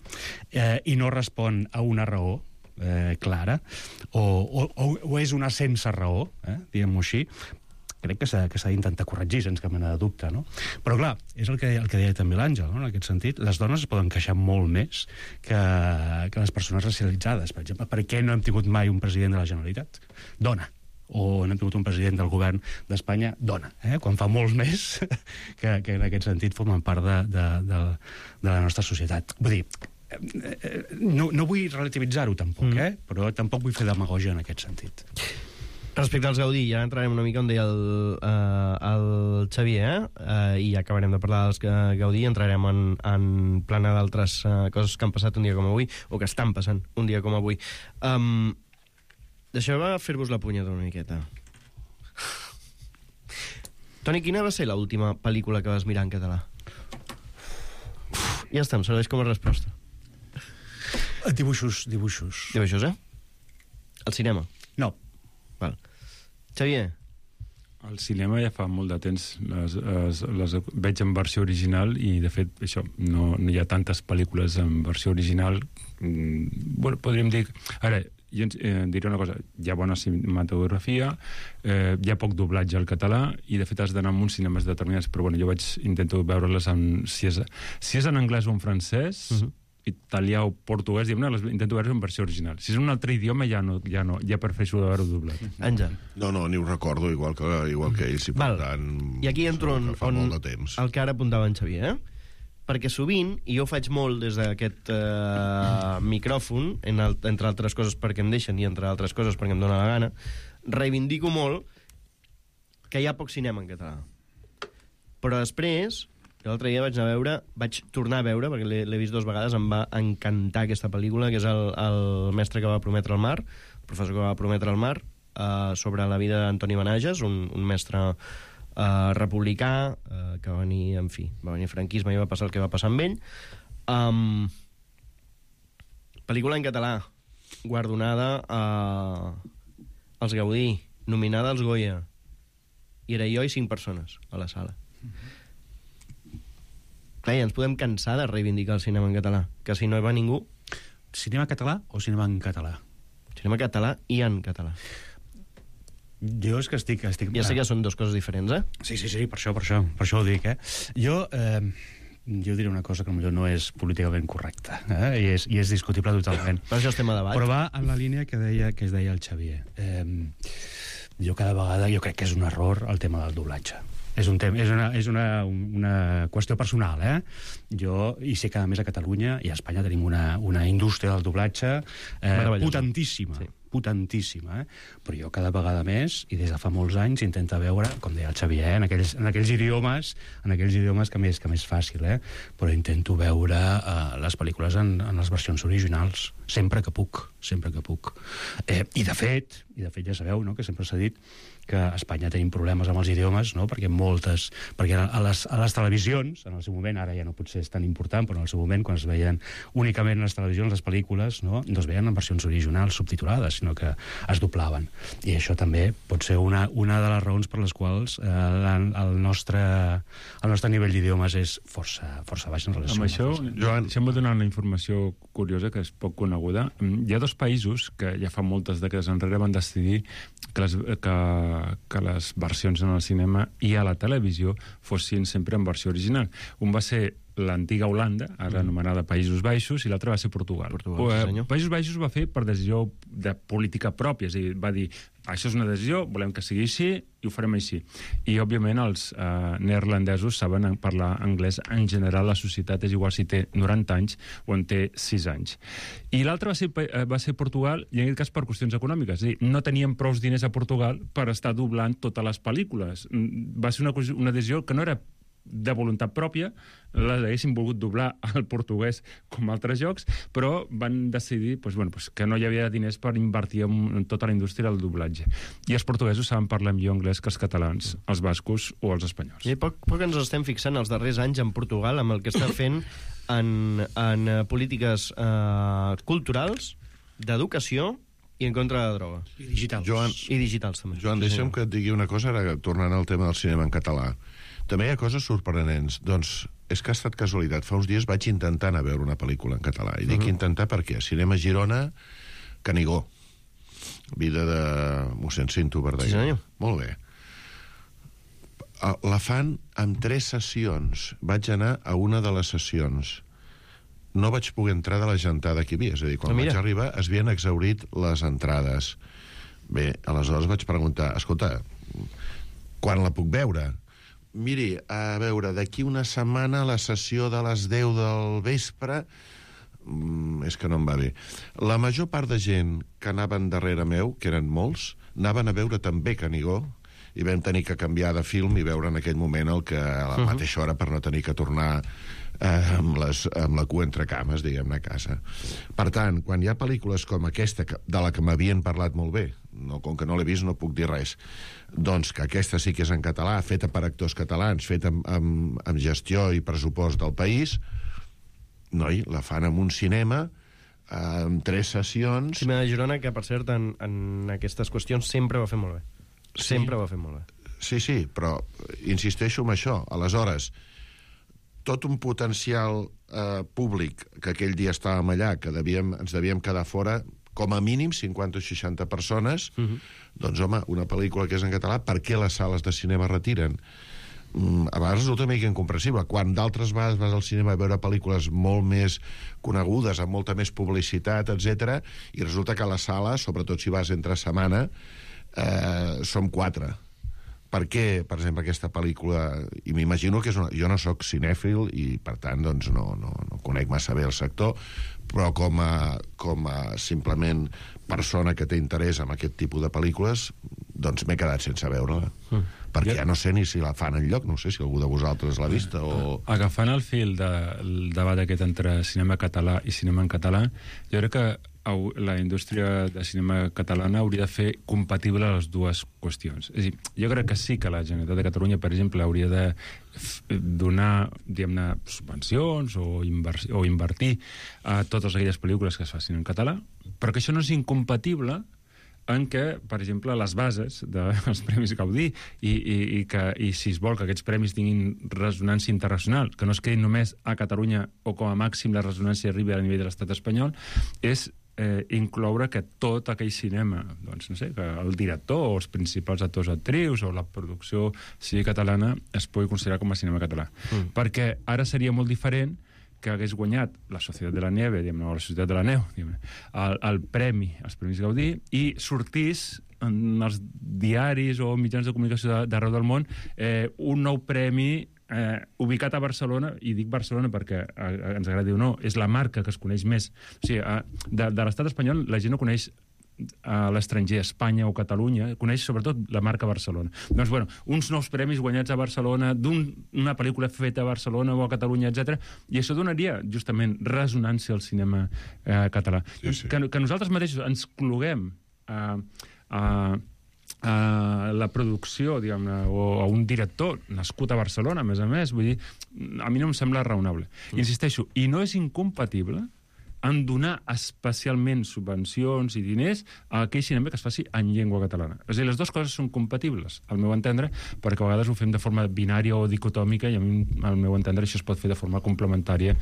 eh, i no respon a una raó Eh, clara, o, o, o és una sense raó, eh, diguem-ho així, crec que s'ha d'intentar corregir sense cap mena de dubte, no? Però clar, és el que, el que deia també l'Àngel, no? En aquest sentit, les dones es poden queixar molt més que, que les persones racialitzades, per exemple. Per què no hem tingut mai un president de la Generalitat? Dona. O no hem tingut un president del govern d'Espanya, dona, eh? Quan fa molts més que, que en aquest sentit formen part de, de, de, de la nostra societat. Vull dir, no, no vull relativitzar-ho tampoc, mm. eh? Però tampoc vull fer demagògia en aquest sentit. Respecte als Gaudí, ja entrarem una mica on deia el, uh, el Xavier, eh? Uh, i ja acabarem de parlar dels Gaudí, entrarem en, en plana d'altres uh, coses que han passat un dia com avui, o que estan passant un dia com avui. Um, Deixeu-me fer-vos la punyeta una miqueta. Toni, quina va ser l'última pel·lícula que vas mirar en català? Uf, ja està, em serveix com a resposta. Dibuixos, dibuixos. Dibuixos, eh? Al cinema? No. Val. Xavier? Al cinema ja fa molt de temps les, les, les veig en versió original i, de fet, això, no, no hi ha tantes pel·lícules en versió original. Mm, bueno, podríem dir... Ara, jo eh, diré una cosa, hi ha bona cinematografia, eh, hi ha poc doblatge al català i, de fet, has d'anar a uns cinemes determinats, però bueno, jo vaig intento veure-les en... Si és, si és en anglès o en francès... Uh-huh. Italià o portuguès, no, les intento veure en versió original. Si és un altre idioma, ja no, ja no, ja prefereixo veure-ho doblat. Àngel. No, no, ni ho recordo, igual que, igual que ells, i per Val. tant... I aquí entro on, fa on molt de temps. el que ara apuntava en Xavier, eh? Perquè sovint, i jo ho faig molt des d'aquest eh, micròfon, en el, entre altres coses perquè em deixen i entre altres coses perquè em dóna la gana, reivindico molt que hi ha poc cinema en català. Però després... L'altre dia vaig anar a veure, vaig tornar a veure, perquè l'he vist dues vegades, em va encantar aquesta pel·lícula, que és el, el mestre que va prometre el mar, el professor que va prometre el mar, eh, sobre la vida d'Antoni Benages, un, un mestre eh, republicà, eh, que va venir, en fi, va venir franquisme i va passar el que va passar amb ell. Um, pel·lícula en català, guardonada eh, als Gaudí, nominada als Goya, i era jo i cinc persones a la sala. Mm-hmm. Clar, ja ens podem cansar de reivindicar el cinema en català, que si no hi va ningú... Cinema català o cinema en català? Cinema català i en català. Jo és que estic... estic... Ja sé que són dues coses diferents, eh? Sí, sí, sí, per això, per això, per això ho dic, eh? Jo, eh, jo diré una cosa que potser no és políticament correcta, eh? I, és, i és discutible totalment. Per això estem a debat. Però va en la línia que deia que es deia el Xavier. Eh, jo cada vegada, jo crec que és un error el tema del doblatge. És, un tema, és, una, és una, una qüestió personal, eh? Jo, i sé que a més a Catalunya i a Espanya tenim una, una indústria del doblatge eh, potentíssima, sí. potentíssima, eh? Però jo cada vegada més, i des de fa molts anys, intento veure, com deia el Xavier, en aquells, en aquells idiomes, en aquells idiomes que més, que més fàcil, eh? Però intento veure eh, les pel·lícules en, en les versions originals, sempre que puc, sempre que puc. Eh, I de fet, i de fet ja sabeu, no?, que sempre s'ha dit que a Espanya tenim problemes amb els idiomes, no?, perquè moltes... Perquè a les, a les televisions, en el seu moment, ara ja no potser és tan important, però en el seu moment, quan es veien únicament en les televisions, les pel·lícules, no, no es veien en versions originals subtitulades, sinó que es doblaven. I això també pot ser una, una de les raons per les quals eh, la, el, nostre, el nostre nivell d'idiomes és força, força baix en relació amb això. Joan, això em va donar una informació curiosa, que és poc coneguda. Hi ha dos països que ja fa moltes dècades enrere van decidir que les, que que les versions en el cinema i a la televisió fossin sempre en versió original. Un va ser l'antiga Holanda, ara mm. anomenada Països Baixos, i l'altre va ser Portugal. Portugal sí, senyor. Països Baixos va fer per decisió de política pròpia, és a dir, va dir, això és una decisió, volem que sigui així, i ho farem així. I, òbviament, els eh, neerlandesos saben parlar anglès. En general, la societat és igual si té noranta anys o en té sis anys. I l'altre va, ser, va ser Portugal, i en aquest cas per qüestions econòmiques. És a dir, no tenien prou diners a Portugal per estar doblant totes les pel·lícules. Va ser una, una decisió que no era de voluntat pròpia, les haguessin volgut doblar al portuguès com altres jocs, però van decidir doncs, bueno, doncs, que no hi havia diners per invertir en, en tota la indústria del doblatge. I els portuguesos saben parlar millor anglès que els catalans, els bascos o els espanyols. I poc, poc ens estem fixant els darrers anys en Portugal amb el que està fent en, en polítiques eh, culturals, d'educació i en contra de la droga. I digitals. Joan, I digitals, també. Joan, deixa'm que et digui una cosa, ara tornant al tema del cinema en català. També hi ha coses sorprenents. Doncs és que ha estat casualitat. Fa uns dies vaig intentar anar a veure una pel·lícula en català. I dic uh -huh. intentar perquè Cinema Girona, Canigó. Vida de mossèn Cinto Verdaguer. Sí, senyor. Molt bé. La fan amb tres sessions. Vaig anar a una de les sessions. No vaig poder entrar de la gentada que hi havia. És a dir, quan no, vaig arribar es havien exhaurit les entrades. Bé, aleshores vaig preguntar, escolta, quan la puc veure? Miri, a veure, d'aquí una setmana la sessió de les deu del vespre mm, és que no em va bé. La major part de gent que anaven darrere meu, que eren molts, anaven a veure també Canigó i vam tenir que canviar de film i veure en aquell moment el que a la uh -huh. mateixa hora per no tenir que tornar eh, amb, les, amb la cua entre cames, diguem-ne, a casa. Per tant, quan hi ha pel·lícules com aquesta, de la que m'havien parlat molt bé, no, com que no l'he vist no puc dir res, doncs que aquesta sí que és en català, feta per actors catalans, feta amb, amb, amb gestió i pressupost del país, noi, la fan en un cinema amb tres sessions... Cinema de Girona, que per cert en, en aquestes qüestions sempre va fer molt bé. Sempre sí. va fer molt bé. Sí, sí, però insisteixo en això. Aleshores, tot un potencial eh, públic que aquell dia estàvem allà, que devíem, ens devíem quedar fora, com a mínim cinquanta o seixanta persones, uh -huh. doncs, home, una pel·lícula que és en català, per què les sales de cinema retiren? Mm, a vegades resulta una mica incomprensible. Quan d'altres vegades vas al cinema a veure pel·lícules molt més conegudes, amb molta més publicitat, etcètera, i resulta que a la sala, sobretot si vas entre setmana, eh, som quatre. Per què, per exemple, aquesta pel·lícula... I m'imagino que és una... Jo no sóc cinèfil i, per tant, doncs no, no, no conec massa bé el sector, però com a, com a simplement persona que té interès en aquest tipus de pel·lícules, doncs m'he quedat sense veure-la. Mm. Perquè ja no sé ni si la fan enlloc, no sé si algú de vosaltres l'ha vista o... Agafant el fil del debat aquest entre cinema català i cinema en català, jo crec que la indústria de cinema catalana hauria de fer compatible les dues qüestions. És a dir, jo crec que sí que la Generalitat de Catalunya, per exemple, hauria de donar, diguem-ne, subvencions o, inver o invertir a totes aquelles pel·lícules que es facin en català, però que això no és incompatible en què, per exemple, les bases dels Premis Gaudí i, i, i, que, i si es vol que aquests premis tinguin ressonància internacional, que no es quedin només a Catalunya o com a màxim la ressonància arribi a nivell de l'estat espanyol, és eh, incloure que tot aquell cinema, doncs no sé, que el director o els principals actors actrius o la producció sigui catalana es pugui considerar com a cinema català. Mm. Perquè ara seria molt diferent que hagués guanyat la Societat de la Nieve, diguem-ne, o la Societat de la Neu, el, el premi, els Premis Gaudí, i sortís en els diaris o mitjans de comunicació d'arreu del món eh, un nou premi eh, ubicat a Barcelona, i dic Barcelona perquè eh, ens agradi o no, és la marca que es coneix més. O sigui, eh, de, de l'estat espanyol la gent no coneix a l'estranger, Espanya o Catalunya, coneix sobretot la marca Barcelona. Doncs, bueno, uns nous premis guanyats a Barcelona, d'una pel·lícula feta a Barcelona o a Catalunya, etcètera, i això donaria, justament, resonància al cinema eh, català. Sí, sí. Que, que nosaltres mateixos ens cloguem a, a, a la producció, diguem-ne, o a un director nascut a Barcelona, a més a més, vull dir, a mi no em sembla raonable. Mm. Insisteixo, i no és incompatible en donar especialment subvencions i diners a aquell cinema que es faci en llengua catalana. És a dir, les dues coses són compatibles, al meu entendre, perquè a vegades ho fem de forma binària o dicotòmica i a mi, al meu entendre, això es pot fer de forma complementària,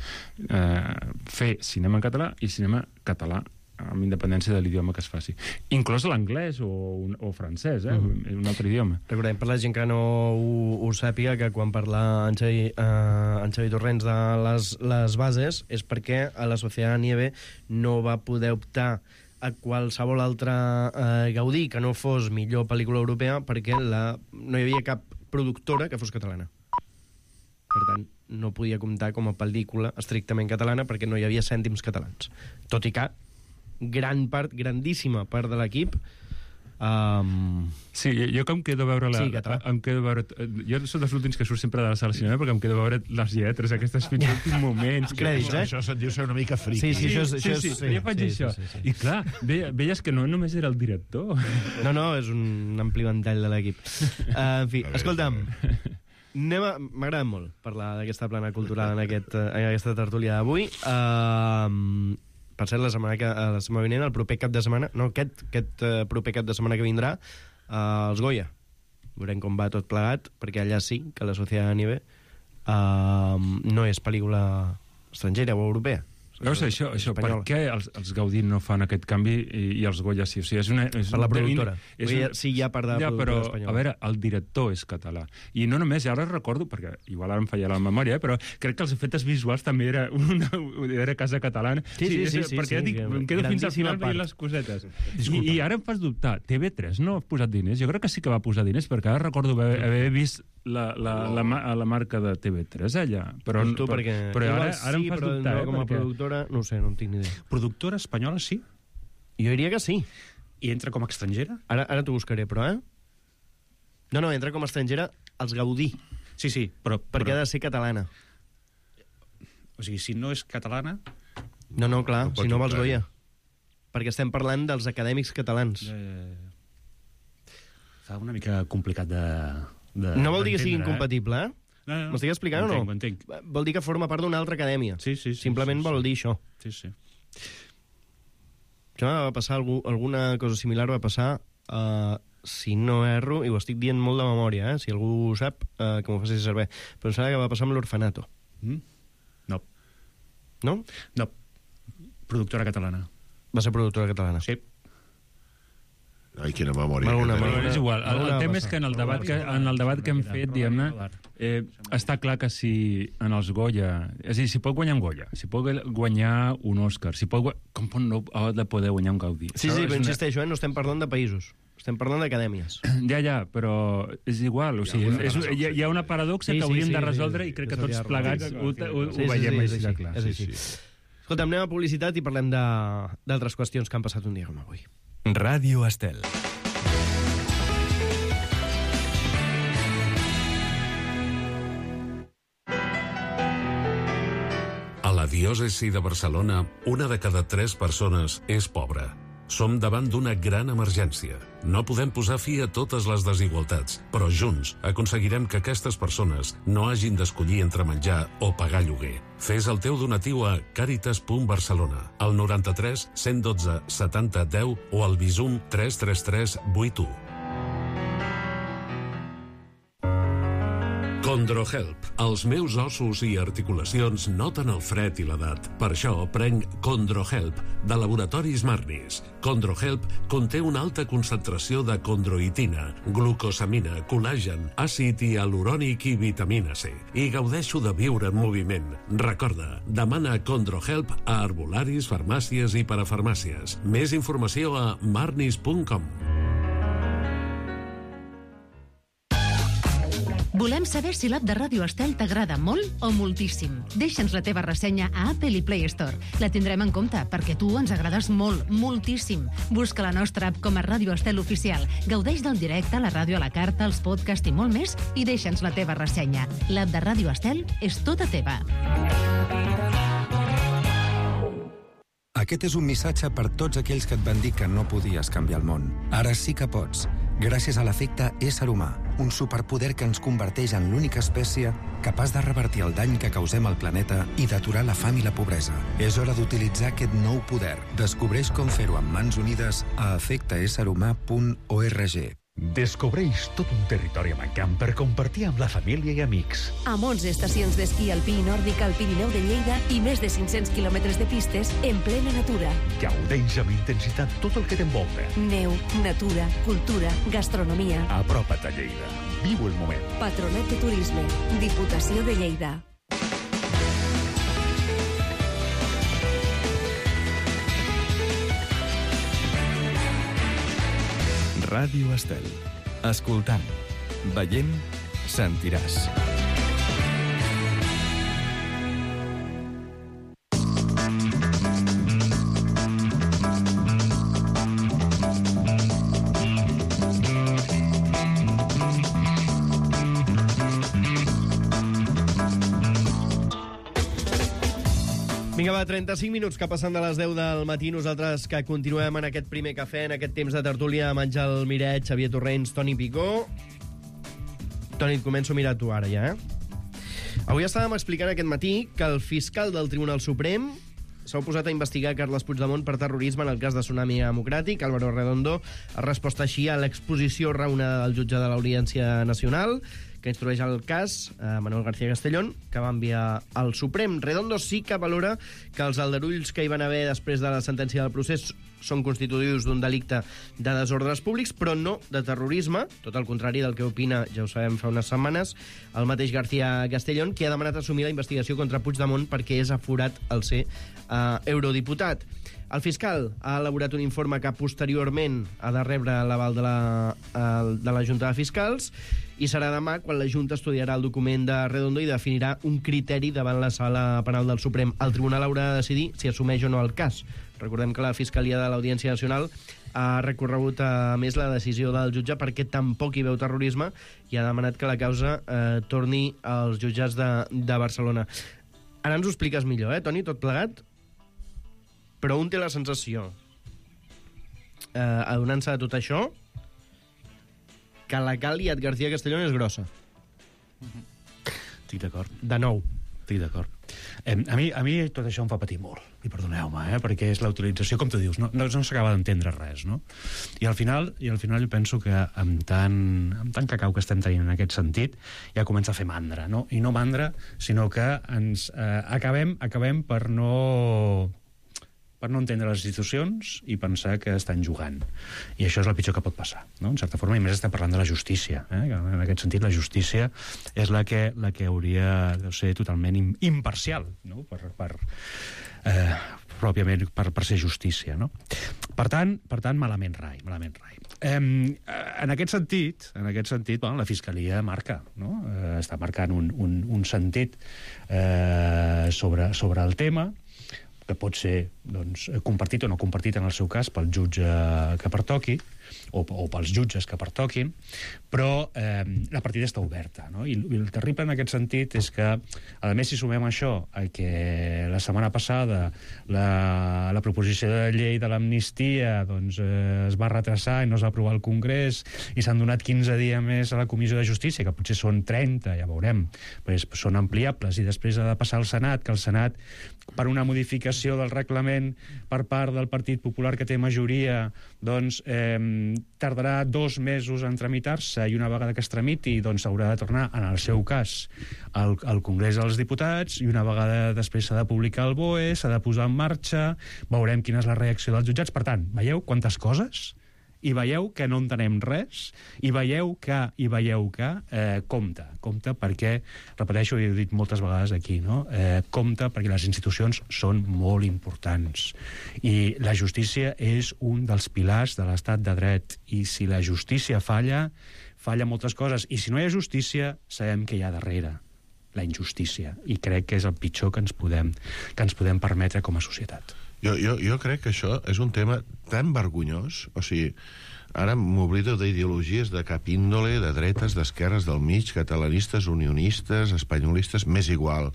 eh, fer cinema en català i cinema català amb independència de l'idioma que es faci. Inclòs l'anglès o, o francès, eh? Mm. Un altre idioma. Recordem, per la gent que no ho, ho sàpiga, que quan parla en Xavi, eh, en Xavi Torrents de les, les bases és perquè a la Societat Nieve no va poder optar a qualsevol altre eh, Gaudí que no fos millor pel·lícula europea perquè la, no hi havia cap productora que fos catalana. Per tant, no podia comptar com a pel·lícula estrictament catalana perquè no hi havia cèntims catalans. Tot i que gran part, grandíssima part de l'equip... Um... Sí, jo que em quedo a veure... La, sí, català. Em quedo a veure... Jo soc dels últims que surt sempre de la sala de cinema perquè em quedo a veure les lletres, aquestes fins als últims moments. Crèdits, eh? Això se't diu ser una mica friqui. Sí, sí, això és... Sí, sí, sí, sí, jo faig sí, això. sí, sí, sí. I clar, ve, veies que no només era el director. No, no, és un ampli ventall de l'equip. Uh, en fi, escolta'm... M'agrada molt parlar d'aquesta plana cultural en, aquest, en aquesta tertúlia d'avui. Uh, per cert, la setmana, que, la setmana vinent, el proper cap de setmana, no, aquest, aquest uh, proper cap de setmana que vindrà, uh, els Goya. Veurem com va tot plegat, perquè allà sí que la Societat Nieve uh, no és pel·lícula estrangera o europea. Veus això, això per què els, els Gaudí no fan aquest canvi i, i els Goya sí? O sigui, és una, és per la productora. És un, sí, hi ha part de la ja, productora però, espanyola. A veure, el director és català. I no només, ara recordo, perquè igual ara em falla la memòria, eh, però crec que els efectes visuals també era una, era casa catalana. Sí, sí, sí. és, sí perquè sí, dic, em quedo fins al final veient les cosetes. I, I ara em fas dubtar. T V tres no ha posat diners? Jo crec que sí que va posar diners, perquè ara recordo haver, haver vist la, la, la, la, la marca de T V tres allà. Però, tu, però, perquè... però ara, sí, ara em fas però dubtar. No, Eh, com a perquè... productora, no ho sé, no en tinc ni idea. Productora espanyola, sí. Jo diria que sí. I entra com a estrangera? Ara, ara t'ho buscaré, però, eh? No, no, entra com a estrangera els Gaudí. Sí, sí, però... Perquè però... ha de ser catalana. O sigui, si no és catalana... No, no, clar, No pot si no vols optar, Goya. Perquè estem parlant dels acadèmics catalans. Eh... Fa una mica complicat de... de No vol dir que sigui d'entendre, incompatible, eh? No, no, no. M'estic explicant o no? Ho entenc, ho Vol dir que forma part d'una altra acadèmia. Sí, sí, sí. Simplement sí, vol sí. dir això. Sí, sí. Això va passar, algú, alguna cosa similar va passar, uh, si no erro, i ho estic dient molt de memòria, eh? Si algú ho sap, uh, que m'ho faci saber. Però em sembla que va passar amb l'Orfanato. Mm? No. No? No. Productora catalana. Va ser productora catalana. Sí. Ai, quina memòria. Alguna, que alguna. tenim. És igual, el, el tema és que en el debat que, en el debat que hem fet, diguem-ne, eh, està clar que si en els Goya... És a dir, si pot guanyar un Goya, si pot guanyar un Òscar, si pot... gua- Com pot no ha de poder guanyar un Gaudí? Sí, Això sí, és però una- insisteixo, eh? No estem parlant de països. Estem parlant d'acadèmies. Ja, ja, però és igual. O sigui, és, hi, ha, hi ha una paradoxa Sí, que sí, hauríem sí, de sí, resoldre sí. i crec que Això tots ja plegats sí, ho, ho, ho Sí, sí, veiem sí, així sí, de sí, clar. és així. Escolta, anem a publicitat i parlem de- d'altres qüestions que han passat un dia com avui. Ràdio Estel. A la diòcesi de Barcelona, una de cada tres persones és pobra. Som davant d'una gran emergència. No podem posar fi a totes les desigualtats, però junts aconseguirem que aquestes persones no hagin d'escollir entre menjar o pagar lloguer. Fes el teu donatiu a caritas punt barcelona, al noranta-tres cent dotze setanta deu o al Bizum tres tres tres vuit u. Condrohelp. Els meus ossos i articulacions noten el fred i l'edat. Per això prenc Condrohelp, de Laboratoris Marnis. Condrohelp conté una alta concentració de condroitina, glucosamina, col·làgen, àcid hialurònic i vitamina C. I gaudeixo de viure en moviment. Recorda, demana Condrohelp a herbolaris, farmàcies i parafarmàcies. Més informació a marnis punt com. Volem saber si l'app de Ràdio Estel t'agrada molt o moltíssim. Deixa'ns la teva ressenya a Apple i Play Store. La tindrem en compte, perquè tu ens agrades molt, moltíssim. Busca la nostra app com a Ràdio Estel Oficial. Gaudeix del directe, la ràdio a la carta, els podcasts i molt més, i deixa'ns la teva ressenya. L'app de Ràdio Estel és tota teva. Aquest és un missatge per tots aquells que et van dir que no podies canviar el món. Ara sí que pots, gràcies a l'efecte ésser humà, un superpoder que ens converteix en l'única espècie capaç de revertir el dany que causem al planeta i d'aturar la fam i la pobresa. És hora d'utilitzar aquest nou poder. Descobreix com fer-ho amb mans unides a efecte ésser humà punt org. Descobreix tot un territori mancant per compartir amb la família i amics. Amb onze estacions d'esquí alpí i nòrdic al Pirineu de Lleida i més de cinc-cents quilòmetres de pistes en plena natura. Gaudeix amb intensitat tot el que t'envolta. Neu, natura, cultura, gastronomia. Apropa't a Lleida. Viu el moment. Patronat de Turisme. Diputació de Lleida. Ràdio Estel. Escoltant, veient, sentiràs. Vinga, va, trenta-cinc minuts que passen de les deu del matí. Nosaltres que continuem en aquest primer cafè, en aquest temps de tertúlia, amb Àngel Miret, Xavier Torrents, Toni Picó. Toni, et començo a mirar tu ara, ja, eh? Avui estàvem explicant aquest matí que el fiscal del Tribunal Suprem s'ha oposat a investigar Carles Puigdemont per terrorisme en el cas de Tsunami Democràtic. Álvaro Redondo ha respost així a l'exposició raonada del jutge de l'Audiència Nacional, que instrueix el cas, eh, Manuel García Castellón, que va enviar al Suprem. Redondo sí que valora que els aldarulls que hi van haver després de la sentència del procés són constitutius d'un delicte de desordres públics, però no de terrorisme, tot el contrari del que opina, ja ho sabem fa unes setmanes, el mateix García Castellón, que ha demanat assumir la investigació contra Puigdemont perquè és aforat el ser eh, eurodiputat. El fiscal ha elaborat un informe que posteriorment ha de rebre l'aval de, la, de la Junta de Fiscals i serà demà quan la Junta estudiarà el document de Redondo i definirà un criteri davant la Sala Penal del Suprem. El Tribunal haurà de decidir si assumeix o no el cas. Recordem que la Fiscalia de l'Audiència Nacional ha recorregut a més la decisió del jutge perquè tampoc hi veu terrorisme i ha demanat que la causa eh, torni als jutjats de, de Barcelona. Ara ens ho expliques millor, eh, Toni, tot plegat? Però un té la sensació, eh, adonant-se de tot això, que la Caliat García Castellón és grossa. Estic d'acord. De nou. Estic d'acord. Eh, a, mi, a mi tot això em fa patir molt, i perdoneu-me, eh, perquè és la utilització, com tu dius, no, no, no s'acaba d'entendre res, no? I al final, i al final jo penso que amb tant, amb tant cacau que estem tenint en aquest sentit, ja comença a fer mandra, no? I no mandra, sinó que ens eh, acabem, acabem per no... per no entendre les institucions i pensar que estan jugant. I això és el pitjor que pot passar, no? En certa forma, i més estem parlant de la justícia. Eh? En aquest sentit, la justícia és la que, la que hauria de ser totalment imparcial, no? Per, per, eh, pròpiament per, per ser justícia, no? Per tant, per tant malament rai, malament rai. Eh, en aquest sentit, en aquest sentit bueno, la Fiscalia marca, no? Eh, està marcant un, un, un sentit eh, sobre, sobre el tema, que pot ser doncs, compartit o no compartit en el seu cas pel jutge que pertoqui, o, o pels jutges que pertoquin, però eh, la partida està oberta, no? I, I el terrible en aquest sentit és que, a més, si sumem això, a que la setmana passada la, la proposició de llei de l'amnistia doncs, eh, es va retrasar i no es va aprovar al Congrés, i s'han donat quinze dies més a la Comissió de Justícia, que potser són trenta, ja veurem, pues, són ampliables, i després ha de passar al Senat, que el Senat, per una modificació del reglament per part del Partit Popular que té majoria, doncs eh, tardarà dos mesos en tramitar-se, i una vegada que es tramiti doncs haurà de tornar, en el seu cas, al, al Congrés dels Diputats, i una vegada després s'ha de publicar el B O E, s'ha de posar en marxa, veurem quina és la reacció dels jutjats. Per tant, veieu quantes coses? I veieu que no entenem res, i veieu que, i veieu que eh, compte, compte perquè, repeteixo, i he dit moltes vegades aquí, no? eh, compte perquè les institucions són molt importants, i la justícia és un dels pilars de l'estat de dret, i si la justícia falla, falla moltes coses, i si no hi ha justícia, sabem que hi ha darrere la injustícia, i crec que és el pitjor que ens podem, que ens podem permetre com a societat. Jo, jo, jo crec que això és un tema tan vergonyós, o sigui, ara m'oblido d'ideologies de cap índole, de dretes, d'esquerres, del mig, catalanistes, unionistes, espanyolistes, m'és igual.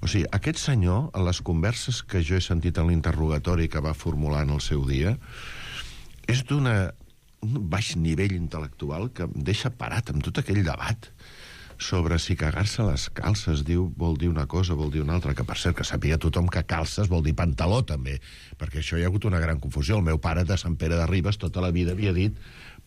O sigui, aquest senyor, en les converses que jo he sentit en l'interrogatori que va formular en el seu dia, és d'un baix nivell intel·lectual que em deixa parat amb tot aquell debat sobre si cagar-se les calces diu, vol dir una cosa, vol dir una altra, que per cert, que sàpiga tothom que calces vol dir pantaló també, perquè això hi ha hagut una gran confusió. El meu pare de Sant Pere de Ribes tota la vida havia dit,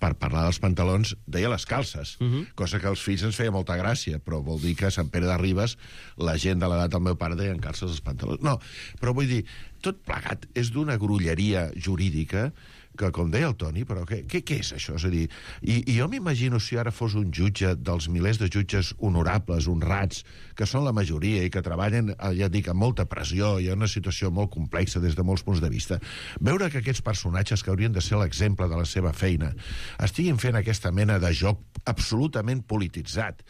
per parlar dels pantalons, deia les calces, uh-huh. cosa que als fills ens feia molta gràcia, però vol dir que a Sant Pere de Ribes la gent de l'edat del meu pare deien calces als pantalons. No, però vull dir, tot plegat és d'una grolleria jurídica que, com deia el Toni, però què, què, què és això? És a dir, i, i jo m'imagino si ara fos un jutge dels milers de jutges honorables, honrats, que són la majoria i que treballen, ja et dic, amb molta pressió i en una situació molt complexa des de molts punts de vista, veure que aquests personatges que haurien de ser l'exemple de la seva feina estiguin fent aquesta mena de joc absolutament polititzat,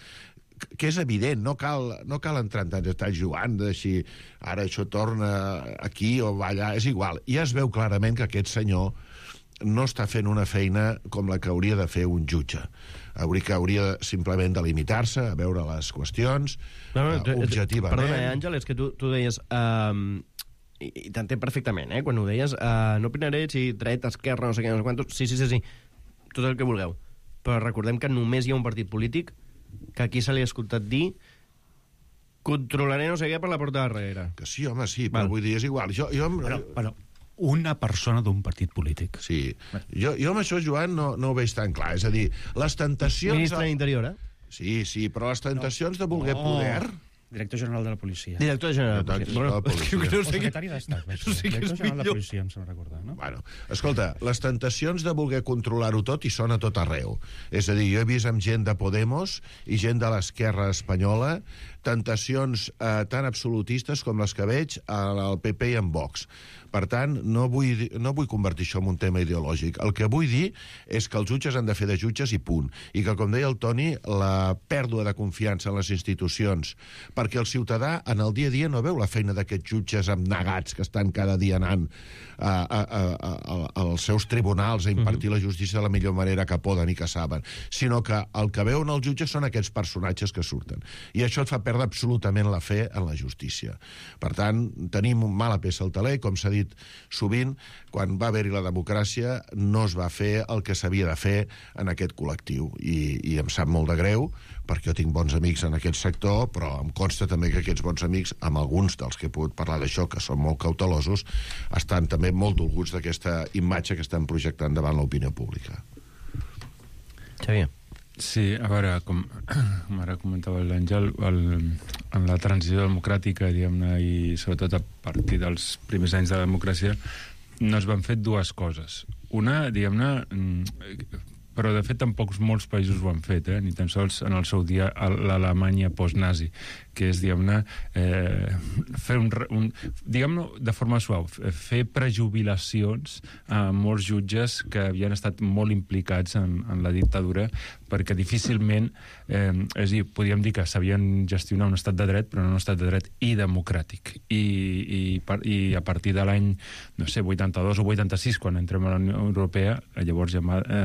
que és evident, no cal, no cal entrar en tants detalls jugant de si ara això torna aquí o va allà, és igual. Ja es veu clarament que aquest senyor no està fent una feina com la que hauria de fer un jutge. Hauria que hauria simplement de limitar-se a veure les qüestions no, no, uh, objectivament. Perdona, eh, Àngel, és que tu, tu deies... Um, i, i t'entenc perfectament, eh, quan ho deies, uh, no opinaré si dret, esquerra, no sé què, no sé quantos... Sí, sí, sí, sí, tot el que vulgueu. Però recordem que només hi ha un partit polític que aquí se li ha escoltat dir controlaré no sé què per la porta de darrere. Que sí, home, sí, però Val. vull dir, és igual. Jo, jo... Però, però una persona d'un partit polític. Sí. Jo, jo amb això, Joan, no, no ho veig tan clar. És a dir, les tentacions... Ministre de l'Interior, eh? Sí, sí, però les tentacions no. de voler no. poder... Director general de la policia. Director general de la policia. Bueno, policia. O secretari d'Estat. No sé Director general de la policia, em sembla recordar, no? Bueno, escolta, les tentacions de voler controlar-ho tot hi són a tot arreu. És a dir, jo he vist amb gent de Podemos i gent de l'esquerra espanyola tentacions eh, tan absolutistes com les que veig al P P i en Vox. Per tant, no vull, no vull convertir això en un tema ideològic. El que vull dir és que els jutges han de fer de jutges i punt. I que, com deia el Toni, la pèrdua de confiança en les institucions, perquè el ciutadà en el dia a dia no veu la feina d'aquests jutges abnegats que estan cada dia anant a, a, a, a, als seus tribunals a impartir la justícia de la millor manera que poden i que saben, sinó que el que veuen els jutges són aquests personatges que surten. I això et fa perdre absolutament la fe en la justícia. Per tant, tenim un mala peça al taler, com s'ha dit sovint, quan va haver-hi la democràcia no es va fer el que s'havia de fer en aquest col·lectiu. I, i em sap molt de greu, perquè jo tinc bons amics en aquest sector, però em consta també que aquests bons amics, amb alguns dels que he pogut parlar d'això, que són molt cautelosos, estan també molt dolguts d'aquesta imatge que estan projectant davant l'opinió pública. Xavier. Sí, a veure, com, com ara comentava l'Àngel, el, en la transició democràtica, diguem-ne, i sobretot a partir dels primers anys de la democràcia, no es van fer dues coses. Una, diguem-ne, però de fet tampoc molts països ho han fet, eh? Ni tan sols en el seu dia l'Alemanya post-nazi, que és, diguem-ne, eh, fer un, un diguem-ne de forma suau, fer prejubilacions a molts jutges que havien estat molt implicats en, en la dictadura, perquè difícilment, eh, és a dir, podríem dir que sabien gestionar un estat de dret, però no un estat de dret i democràtic. I, i, i a partir de l'any, no sé, vuitanta-dos o vuitanta-sis, quan entrem a la Unió Europea, llavors ja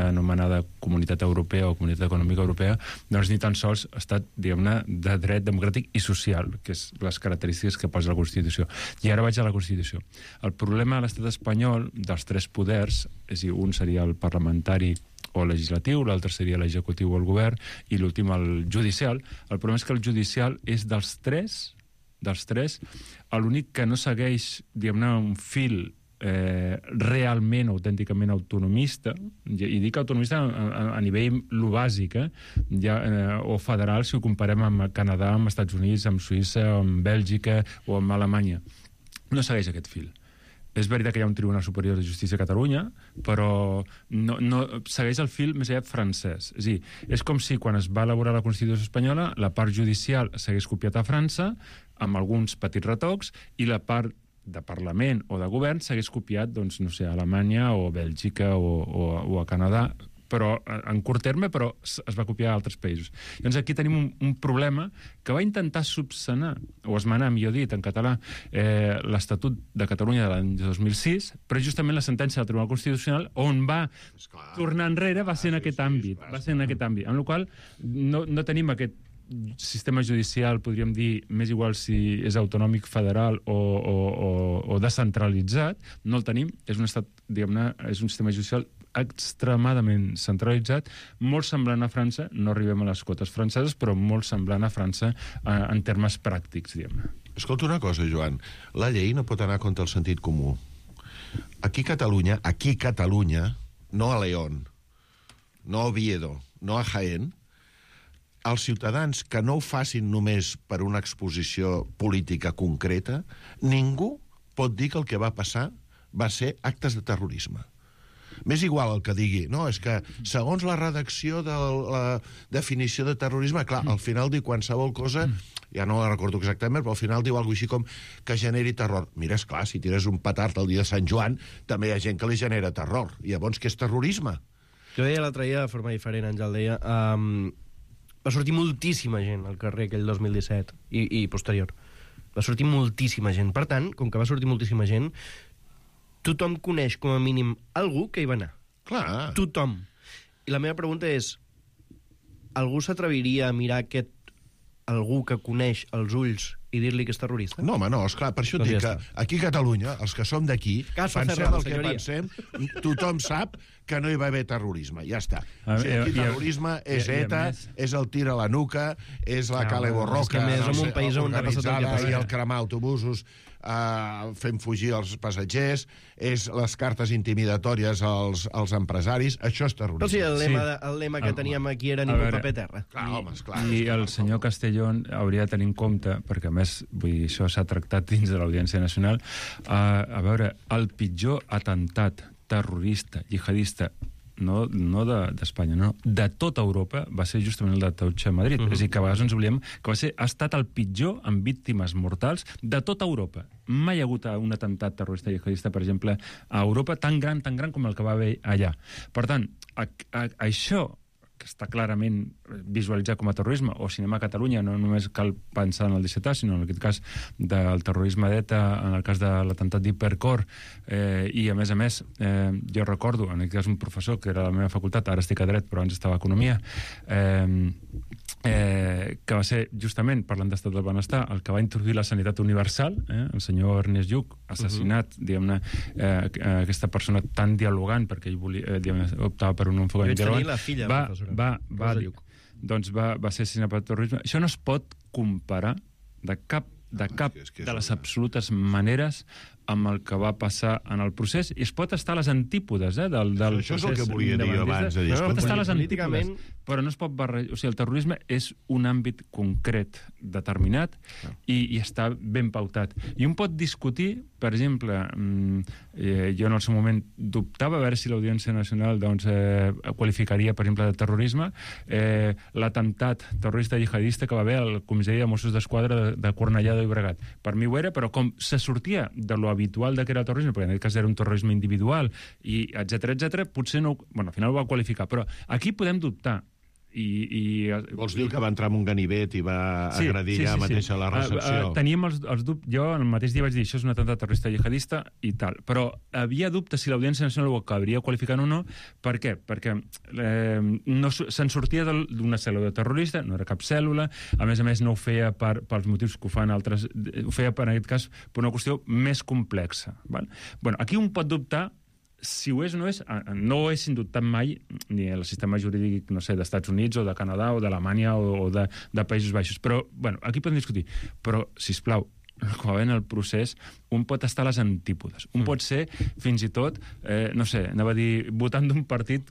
anomenada Comunitat Europea o Comunitat Econòmica Europea, doncs ni tan sols ha estat, diguem-ne, de dret democràtic i social, que és les característiques que posa la Constitució. I ara vaig a la Constitució. El problema a l'estat espanyol dels tres poders, és a dir, un seria el parlamentari o legislatiu, l'altre seria l'executiu o el govern, i l'últim el judicial. El problema és que el judicial és dels tres, dels tres, l'únic que no segueix, diguem-ne, un fil eh, realment, autènticament autonomista, i dic autonomista a, a, a nivell lo bàsic, eh, ja, eh, o federal, si ho comparem amb Canadà, amb Estats Units, amb Suïssa, amb Bèlgica o amb Alemanya. No segueix aquest fil. És veritat que hi ha un Tribunal Superior de Justícia a Catalunya, però no, no segueix el fil més aviat francès. És a dir, és com si quan es va elaborar la Constitució espanyola la part judicial s'hagués copiat a França, amb alguns petits retocs, i la part de Parlament o de govern s'hagués copiat, doncs, no sé, a Alemanya o a Bèlgica o, o, o a Canadà, però en curt terme, però es va copiar a altres països. Doncs aquí tenim un, un problema que va intentar subsanar, o esmenar, millor dit, en català, eh, l'Estatut de Catalunya de l'any dos mil sis, però justament la sentència del Tribunal Constitucional, on va esclar, tornar enrere, va ser en aquest sí, àmbit. Sí, va ser en aquest àmbit. En el qual no, no tenim aquest sistema judicial, podríem dir, més igual si és autonòmic, federal o, o, o, o descentralitzat, no el tenim. És un estat, diguem-ne, és un sistema judicial extremadament centralitzat, molt semblant a França, no arribem a les quotes franceses, però molt semblant a França eh, en termes pràctics, diguem-ne. Escolta una cosa, Joan, la llei no pot anar contra el sentit comú. Aquí a Catalunya, aquí a Catalunya, no a León, no a Oviedo, no a Jaén, els ciutadans que no ho facin només per una exposició política concreta, ningú pot dir que el que va passar va ser actes de terrorisme. M'és igual el que digui, no, és que segons la redacció de la definició de terrorisme, clar, al final diu qualsevol cosa, ja no la recordo exactament, però al final diu alguna cosa així com que generi terror. Mira, esclar, si tires un petard el dia de Sant Joan, també hi ha gent que li genera terror. I llavors, què és terrorisme? Jo deia l'altre dia de forma diferent, Àngel, deia... Um, va sortir moltíssima gent al carrer aquell dos mil disset i, i posterior. Va sortir moltíssima gent. Per tant, com que va sortir moltíssima gent, tothom coneix com a mínim algú que hi va anar. Clar. Tothom. I la meva pregunta és, algú s'atreviria a mirar aquest algú que coneix els ulls i dir-li que és terrorista? No, home, no, esclar, per això et Doncs dic ja que aquí a Catalunya, els que som d'aquí, Caso pensem cerrado, el que senyoria. pensem, tothom sap que no hi va haver terrorisme, ja està. A O sigui, aquí i- i- terrorisme és i- i a ETA, més- és el tir a la nuca, és la No, Cale és Borroca, que a més no som sé, un país on ha passat el que organitzada, passa. i el cremar autobusos uh, fent fugir els passatgers, és les cartes intimidatòries als, als empresaris, això és terrorisme. Però sí, el lema, Sí. de, el lema que Ah, teníem aquí era a ningú veure, paper terra. Clar, home, esclar. I el senyor Castellón hauria de tenir en compte, perquè a més, vull dir, això s'ha tractat dins de l'Audiència Nacional, a, a veure, el pitjor atemptat terrorista, jihadista, no, no d'Espanya, de, no, de tota Europa, va ser justament el de Taucha a Madrid. Uh -huh. És a dir, que a vegades ens oblidem que va ser, ha estat el pitjor amb víctimes mortals de tota Europa. Mai hi ha hagut un atemptat terrorista jihadista, per exemple, a Europa, tan gran, tan gran com el que va haver allà. Per tant, a, a, això que està clarament visualitzat com a terrorisme, o si anem a Catalunya, no només cal pensar en el disset A, sinó en aquest cas del terrorisme d'ETA, en el cas de l'atemptat d'Hipercor, eh, i a més a més, eh, jo recordo, en aquest cas un professor que era a la meva facultat, ara estic a dret, però abans estava a economia, eh, eh, que va ser justament, parlant d'estat del benestar, el que va introduir la sanitat universal, eh, el senyor Ernest Lluch, assassinat, uh -huh. diguem-ne, eh, aquesta persona tan dialogant, perquè ell volia, eh, diguem-ne, optava per un enfocament dialogant, la filla, va, professora. va, va, Rosa Lluch. doncs va, va ser assassinat per terrorisme. Això no es pot comparar de cap, de cap és que és de les una- absolutes maneres amb el que va passar en el procés, i es pot estar a les antípodes eh, del, del Això és el procés que volia dir independentista. abans, de dir, No, es pot escolta, estar a les políticament- antípodes, però no es pot barrejar. O sigui, el terrorisme és un àmbit concret, determinat, i, i està ben pautat. I un pot discutir, per exemple, mm, eh, jo en el seu moment dubtava a veure si l'Audiència Nacional doncs, eh, qualificaria, per exemple, de terrorisme eh, l'atemptat terrorista jihadista que va haver al comissari de Mossos d'Esquadra de, de Cornellà de Llobregat. Per mi ho era, però com se sortia de lo habitual de que era el terrorisme, perquè en aquest cas era un terrorisme individual, i etcètera, etcètera, potser no... Bueno, al final ho va qualificar, però aquí podem dubtar. I, i, Vols dir que va entrar en un ganivet i va sí, agredir sí, sí, ja mateix a la recepció? Uh, uh, teníem els, els dubtes... Jo el mateix dia vaig dir això és un atemptat terrorista jihadista i tal, però havia dubtes si l'Audiència Nacional ho acabaria qualificant o no. Per què? Perquè eh, no, se'n sortia d'una cèl·lula terrorista, no era cap cèl·lula, a més a més no ho feia per, pels motius que ho fan altres, ho feia per, en aquest cas per una qüestió més complexa. Val? Bueno, aquí un pot dubtar si ho és o no és, no ho és indubtat mai ni el sistema jurídic, no sé, d'Estats Units o de Canadà o d'Alemanya o, o de, de Països Baixos. Però, bueno, aquí podem discutir. Però, sisplau, com va en el procés, un pot estar a les antípodes. Un mm. pot ser, fins i tot, eh, no sé, anava a dir, votant d'un partit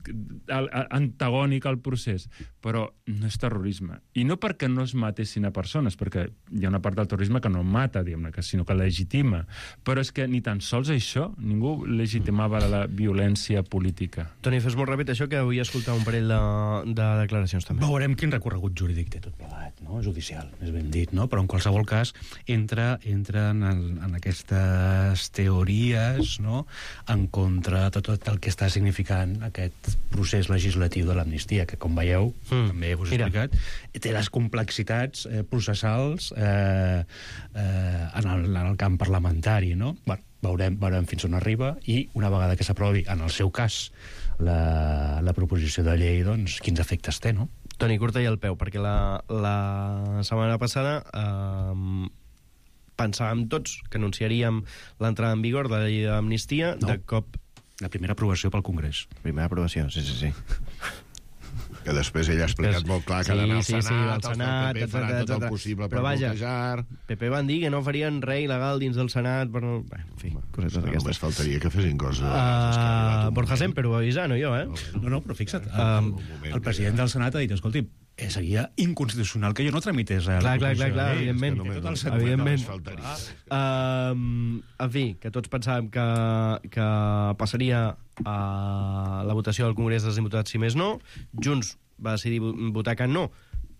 antagònic al procés, però no és terrorisme. I no perquè no es matessin a persones, perquè hi ha una part del terrorisme que no mata, diguem-ne, sinó que legitima. Però és que ni tan sols això, ningú legitimava la violència política. Toni, fes molt ràpid això, que vull escoltar un parell de, de declaracions també. Veurem quin recorregut jurídic té tot plegat, no? Judicial, més ben dit, no? Però en qualsevol cas entra, entra en, el, en aquestes teories, no?, en contra de tot el que està significant aquest procés legislatiu de l'amnistia, que, com veieu, mm. també us he explicat, té les complexitats eh, processals eh, eh, en, el, en el camp parlamentari, no? Bueno, veurem, veurem fins on arriba, i una vegada que s'aprovi, en el seu cas, la, la proposició de llei, doncs, quins efectes té, no? Toni, curta i al peu, perquè la, la setmana passada eh, pensàvem tots que anunciaríem l'entrada en vigor de la llei d'amnistia. No. De cop La primera aprovació pel Congrés. Primera aprovació, sí, sí, sí. Que després ell ha explicat Després- molt clar que sí, ha d'anar al sí, sí, Senat, al els del Senat, P P faran etcètera, tot el etcètera. possible per Però vaja, bloquejar. P P van dir que no farien res il·legal dins del Senat, però no... Bé, en fi, cosetes No, d'aquestes. només faltaria que fessin coses. Uh, Borja Semper ho va avisar, no jo, eh? No, no, però fixa't, el, el president del Senat ha dit, escolti, eh, seria inconstitucional que jo no tramités la Clar, clar, clar, proposició clar, de llei. evidentment. És que té tot el sentit. Evidentment. Només faltaria. Um, en fi, que tots pensàvem que, que passaria a la votació del Congrés dels Diputats, si més no. Junts va decidir votar que no,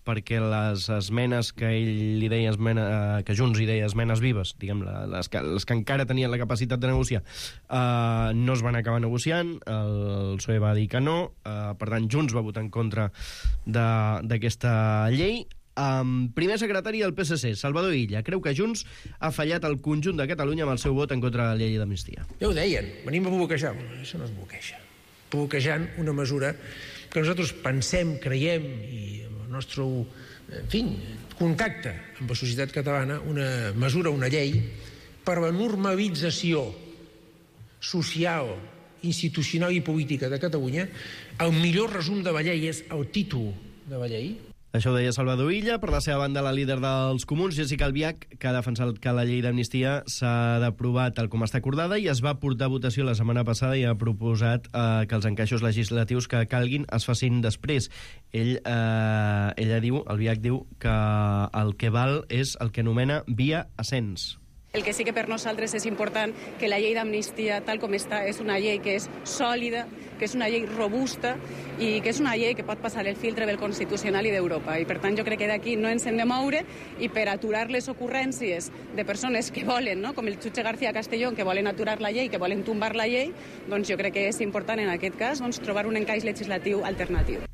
perquè les esmenes que ell li deia esmena, eh, que Junts hi deia esmenes vives, diguem, les que, les que encara tenien la capacitat de negociar, eh, no es van acabar negociant, el P S O E va dir que no, eh, per tant Junts va votar en contra d'aquesta llei. Um, primer secretari del P S C, Salvador Illa, creu que Junts ha fallat el conjunt de Catalunya amb el seu vot en contra de la llei d'amnistia. Ja ho deien, venim a bloquejar. Això no es bloqueja. Bloquejant una mesura que nosaltres pensem, creiem, i amb el nostre, en fi, contacte amb la societat catalana, una mesura, una llei, per la normalització social, institucional i política de Catalunya. El millor resum de la llei és el títol de la llei. Això ho deia Salvador Illa. Per la seva banda, la líder dels Comuns, Jessica Albiach, que ha defensat que la llei d'amnistia s'ha d'aprovar tal com està acordada i es va portar a votació la setmana passada i ha proposat eh, que els encaixos legislatius que calguin es facin després. Ell, eh, ella diu, Albiach diu, que el que val és el que anomena via ascens. El que sí que per nosaltres és important que la llei d'amnistia, tal com està, és una llei que és sòlida, que és una llei robusta i que és una llei que pot passar el filtre del Constitucional i d'Europa. I per tant jo crec que d'aquí no ens hem de moure i per aturar les ocurrències de persones que volen, no? Com el jutge García Castellón, que volen aturar la llei, que volen tombar la llei, doncs jo crec que és important en aquest cas doncs, trobar un encaix legislatiu alternatiu.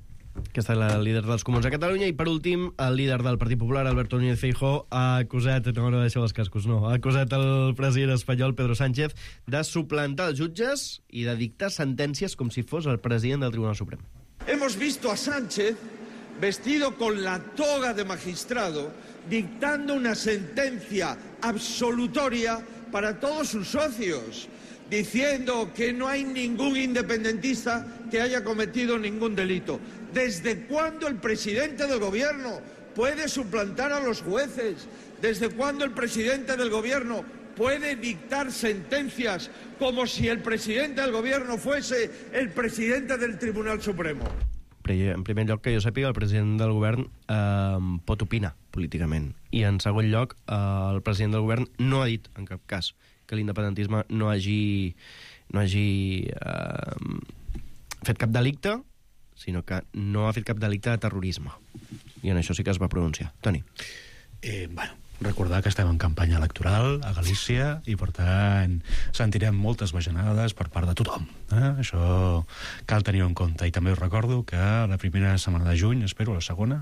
Aquesta és la líder dels Comuns a Catalunya. I per últim, el líder del Partit Popular, Alberto Núñez Feijóo, ha acusat, no, no deixeu els cascos, no, ha acusat el president espanyol, Pedro Sánchez, de suplantar els jutges i de dictar sentències com si fos el president del Tribunal Suprem. Hemos visto a Sánchez vestido con la toga de magistrado dictando una sentencia absolutoria para todos sus socios, diciendo que no hay ningún independentista que haya cometido ningún delito. ¿Desde cuándo el presidente del gobierno puede suplantar a los jueces? ¿Desde cuándo el presidente del gobierno puede dictar sentencias como si el presidente del gobierno fuese el presidente del Tribunal Supremo? En primer lloc, que jo sàpiga, el president del govern eh, pot opinar políticament. I en segon lloc, eh, el president del govern no ha dit, en cap cas, que l'independentisme no hagi, no hagi eh, fet cap delicte, sinó que no ha fet cap delicte de terrorisme. I en això sí que es va pronunciar. Toni. Eh, bueno, recordar que estem en campanya electoral a Galícia i, per tant, sentirem moltes bajanades per part de tothom. Eh? Això cal tenir en compte. I també us recordo que la primera setmana de juny, espero, la segona,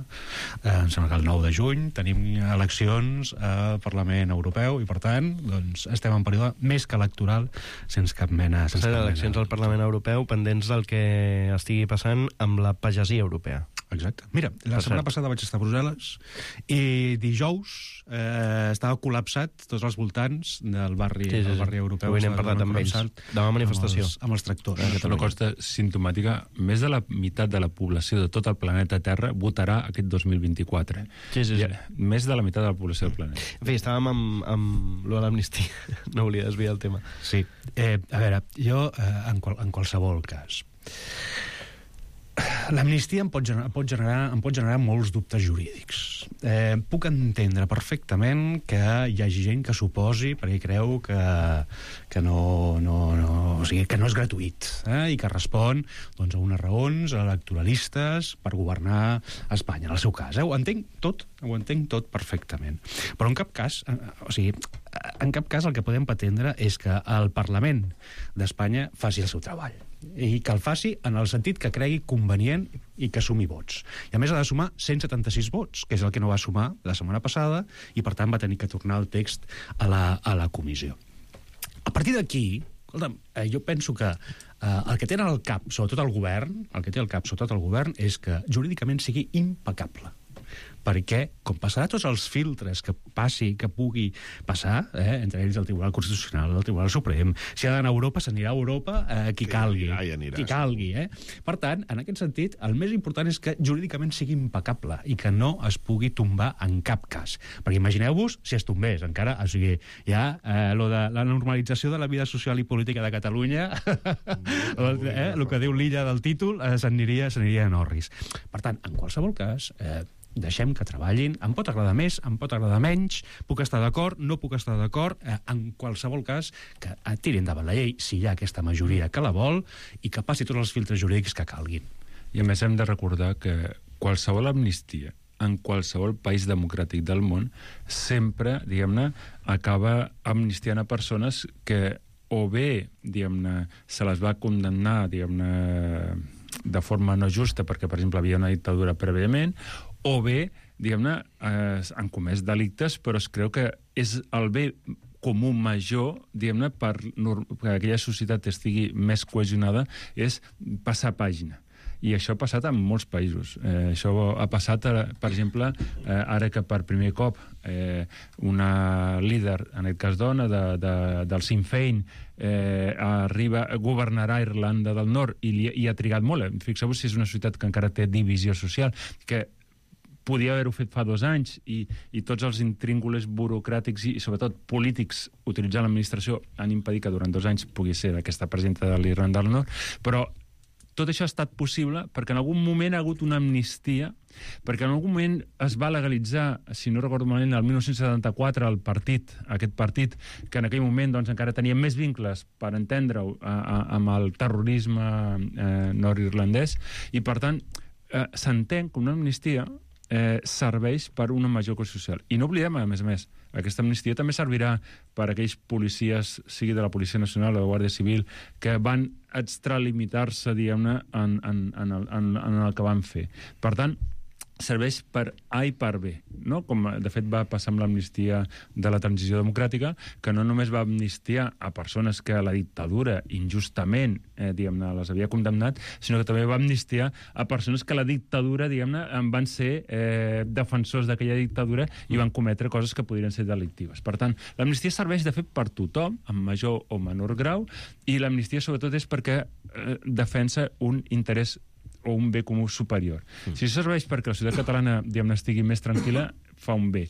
eh, em sembla que el nou de juny, tenim eleccions al Parlament Europeu i, per tant, doncs, estem en període més que electoral, sense cap mena... Sense cap eleccions mena. al Parlament Europeu pendents del que estigui passant amb la pagesia europea. Exacte. Mira, la Per setmana cert. passada vaig estar a Brussel·les i dijous eh, estava col·lapsat tots els voltants del barri, Sí, sí, sí. del barri europeu. Avui n'hem Estava parlat amb ells. col·lapsat Demà manifestació. Amb els, amb els tractors. És una cosa simptomàtica. Més de la meitat de la població de tot el planeta Terra votarà aquest dos mil vint-i-quatre. Sí, sí, sí. Ja, més de la meitat de la població del planeta. En fi, estàvem amb, amb lo de l'amnistia. No volia desviar el tema. Sí. Eh, a veure, jo, eh, en, qual, en qualsevol cas... L'amnistia em pot generar, pot generar, em pot generar molts dubtes jurídics. Eh, puc entendre perfectament que hi hagi gent que s'oposi perquè creu que, que, no, no, no, o sigui, que no és gratuït, eh, i que respon doncs, a unes raons electoralistes per governar Espanya, en el seu cas. Eh? Ho entenc tot, ho entenc tot perfectament. Però en cap cas, eh, o sigui, en cap cas el que podem pretendre és que el Parlament d'Espanya faci el seu treball i que el faci en el sentit que cregui convenient i que sumi vots. I a més ha de sumar cent setanta-sis vots, que és el que no va sumar la setmana passada, i per tant va tenir que tornar el text a la, a la comissió. A partir d'aquí, escolta'm, eh, jo penso que eh, el que tenen al cap, sobretot el govern, el que té al cap, sobretot el govern, és que jurídicament sigui impecable. perquè, com passarà tots els filtres que passi, que pugui passar, eh, entre ells el Tribunal Constitucional, el Tribunal Suprem, si ha d'anar a Europa, s'anirà a Europa eh, qui calgui. Ja hi aniràs. Qui calgui, eh? Per tant, en aquest sentit, el més important és que jurídicament sigui impecable i que no es pugui tombar en cap cas. Perquè imagineu-vos si es tombés, encara, o sigui, ja eh, lo de la normalització de la vida social i política de Catalunya, eh, el que diu l'illa del títol, eh, s'aniria s'aniria en orris. Per tant, en qualsevol cas, eh, deixem que treballin, em pot agradar més, em pot agradar menys, puc estar d'acord, no puc estar d'acord, eh, en qualsevol cas que tirin endavant la llei si hi ha aquesta majoria que la vol i que passi tots els filtres jurídics que calguin. I a més hem de recordar que qualsevol amnistia en qualsevol país democràtic del món sempre, diguem-ne, acaba amnistiant a persones que o bé, diguem-ne, se les va condemnar, diguem-ne, de forma no justa perquè, per exemple, havia una dictadura prèviament, o bé, diguem-ne, eh, han comès delictes, però es creu que és el bé comú major, diguem-ne, per que aquella societat estigui més cohesionada, és passar pàgina. I això ha passat en molts països. Eh, això ha passat, per exemple, eh, ara que per primer cop eh, una líder, en aquest cas dona, de, de, del Sinn Féin, eh, arriba, governarà Irlanda del Nord i, li, i ha trigat molt. Fixeu-vos si és una societat que encara té divisió social, que podia haver-ho fet fa dos anys i, i tots els intríngules burocràtics i, i sobretot polítics utilitzant l'administració han impedit que durant dos anys pugui ser aquesta presidenta de l'Irlanda del Nord, però tot això ha estat possible perquè en algun moment ha hagut una amnistia, perquè en algun moment es va legalitzar, si no recordo malament, el dinou setanta-quatre, el partit, aquest partit, que en aquell moment doncs, encara tenia més vincles, per entendre-ho, amb el terrorisme eh, nord-irlandès, i per tant eh, s'entén que una amnistia eh, serveix per una major cohesió social. I no oblidem, a més a més, aquesta amnistia també servirà per a aquells policies, sigui de la Policia Nacional o de la Guàrdia Civil, que van extralimitar-se, diguem-ne, en, en, en, el, en, en el que van fer. Per tant, serveix per A i per B, no? Com de fet va passar amb l'amnistia de la transició democràtica, que no només va amnistiar a persones que la dictadura injustament, eh, diguem-ne, les havia condemnat, sinó que també va amnistiar a persones que la dictadura, diguem-ne, van ser eh, defensors d'aquella dictadura i van cometre coses que podrien ser delictives. Per tant, l'amnistia serveix, de fet, per tothom, en major o menor grau, i l'amnistia, sobretot, és perquè eh, defensa un interès o un bé comú superior. Mm. Si això serveix perquè la societat catalana, diguem-ne, estigui més tranquil·la, fa un bé.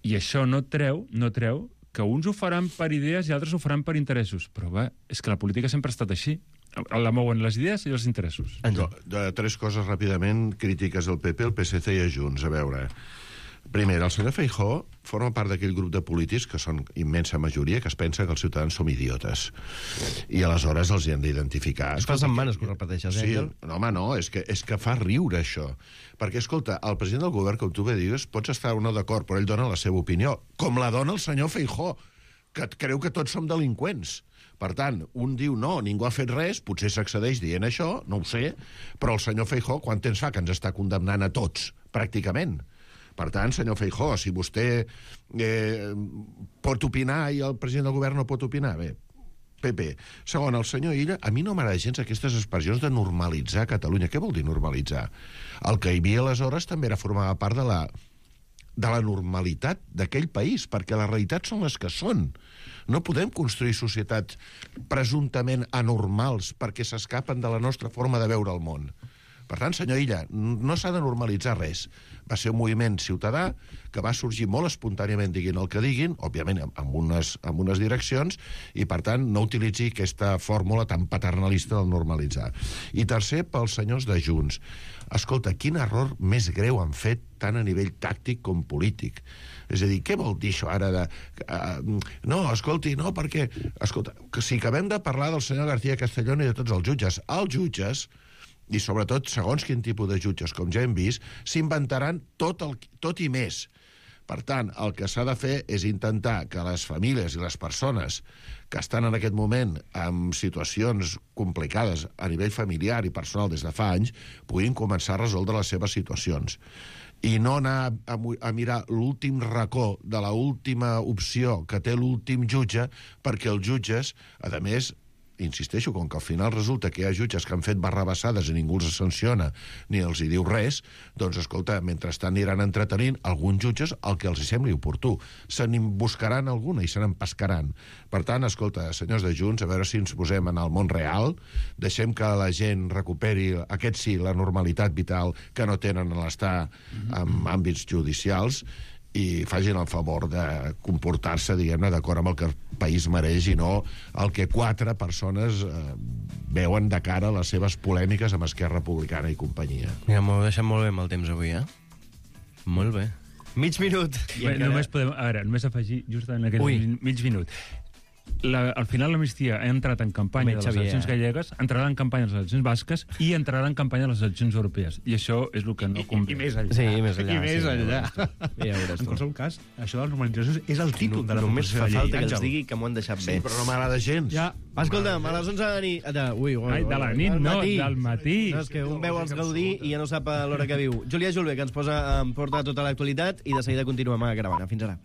I això no treu, no treu que uns ho faran per idees i altres ho faran per interessos. Però va, és que la política sempre ha estat així. La mouen les idees i els interessos. De, de tres coses ràpidament crítiques al P P, el P S C i a Junts. A veure, primer, el senyor Feijóo forma part d'aquell grup de polítics que són immensa majoria, que es pensa que els ciutadans som idiotes. I aleshores els hi han d'identificar. Es fa setmanes que ho repeteixes, eh? Sí, no, home, no, és que, és que fa riure això. Perquè, escolta, el president del govern, com tu bé digues, pots estar o no d'acord, però ell dona la seva opinió, com la dona el senyor Feijóo, que creu que tots som delinqüents. Per tant, un diu no, ningú ha fet res, potser s'accedeix dient això, no ho sé, però el senyor Feijóo, quant temps fa que ens està condemnant a tots, pràcticament? Per tant, senyor Feijóo, si vostè eh, pot opinar i el president del govern no pot opinar, bé, P P. Segon, el senyor Illa, a mi no m'agrada gens aquestes expressions de normalitzar Catalunya. Què vol dir normalitzar? El que hi havia aleshores també era formava part de la, de la normalitat d'aquell país, perquè les realitats són les que són. No podem construir societats presumptament anormals perquè s'escapen de la nostra forma de veure el món. Per tant, senyor Illa, no s'ha de normalitzar res. Va ser un moviment ciutadà que va sorgir molt espontàniament diguin el que diguin, òbviament amb unes, amb unes direccions, i per tant no utilitzi aquesta fórmula tan paternalista del normalitzar. I tercer, pels senyors de Junts. Escolta, quin error més greu han fet tant a nivell tàctic com polític. És a dir, què vol dir això ara de... Uh, no, escolti, no, perquè... Escolta, que si acabem de parlar del senyor García Castellón i de tots els jutges, els jutges, i sobretot, segons quin tipus de jutges, com ja hem vist, s'inventaran tot, el, tot i més. Per tant, el que s'ha de fer és intentar que les famílies i les persones que estan en aquest moment en situacions complicades a nivell familiar i personal des de fa anys puguin començar a resoldre les seves situacions. I no anar a, a mirar l'últim racó de l'última opció que té l'últim jutge, perquè els jutges, a més, insisteixo, com que al final resulta que hi ha jutges que han fet barrabassades i ningú els sanciona ni els hi diu res, doncs, escolta, mentrestant aniran entretenint alguns jutges el que els hi sembli oportú. Se n'hi buscaran alguna i se n'empescaran. Per tant, escolta, senyors de Junts, a veure si ens posem en el món real, deixem que la gent recuperi, aquest sí, la normalitat vital que no tenen a l'estar en àmbits judicials, i facin el favor de comportar-se, diguem-ne, d'acord amb el que el país mereix i no el que quatre persones eh, veuen de cara a les seves polèmiques amb Esquerra Republicana i companyia. Mira, m'ho deixat molt bé amb el temps avui, eh? Molt bé. Mig minut. Bé, encara... només podem, a veure, només afegir just en aquest Ui. mig minut. La, al final l'amnistia ha entrat en campanya de les eleccions gallegues, entrarà en campanya de les eleccions basques i entrarà en campanya de les eleccions europees. I això és el que no convé. I, i més enllà. Sí, i més enllà. I més sí, enllà. Ja en qualsevol cas, això de les normalitzacions és el títol no, de la només fa falta que els digui que m'ho han deixat bé. Sí, però no m'agrada gens. Ja. Escolta'm, a les onze de la nit... De, ui, ui, Ai, de la nit, no, del matí. No, és que un veu els Gaudí i ja no sap a l'hora que viu. Julià Julve, que ens posa en porta tota l'actualitat i de seguida continuem gravant. Fins ara.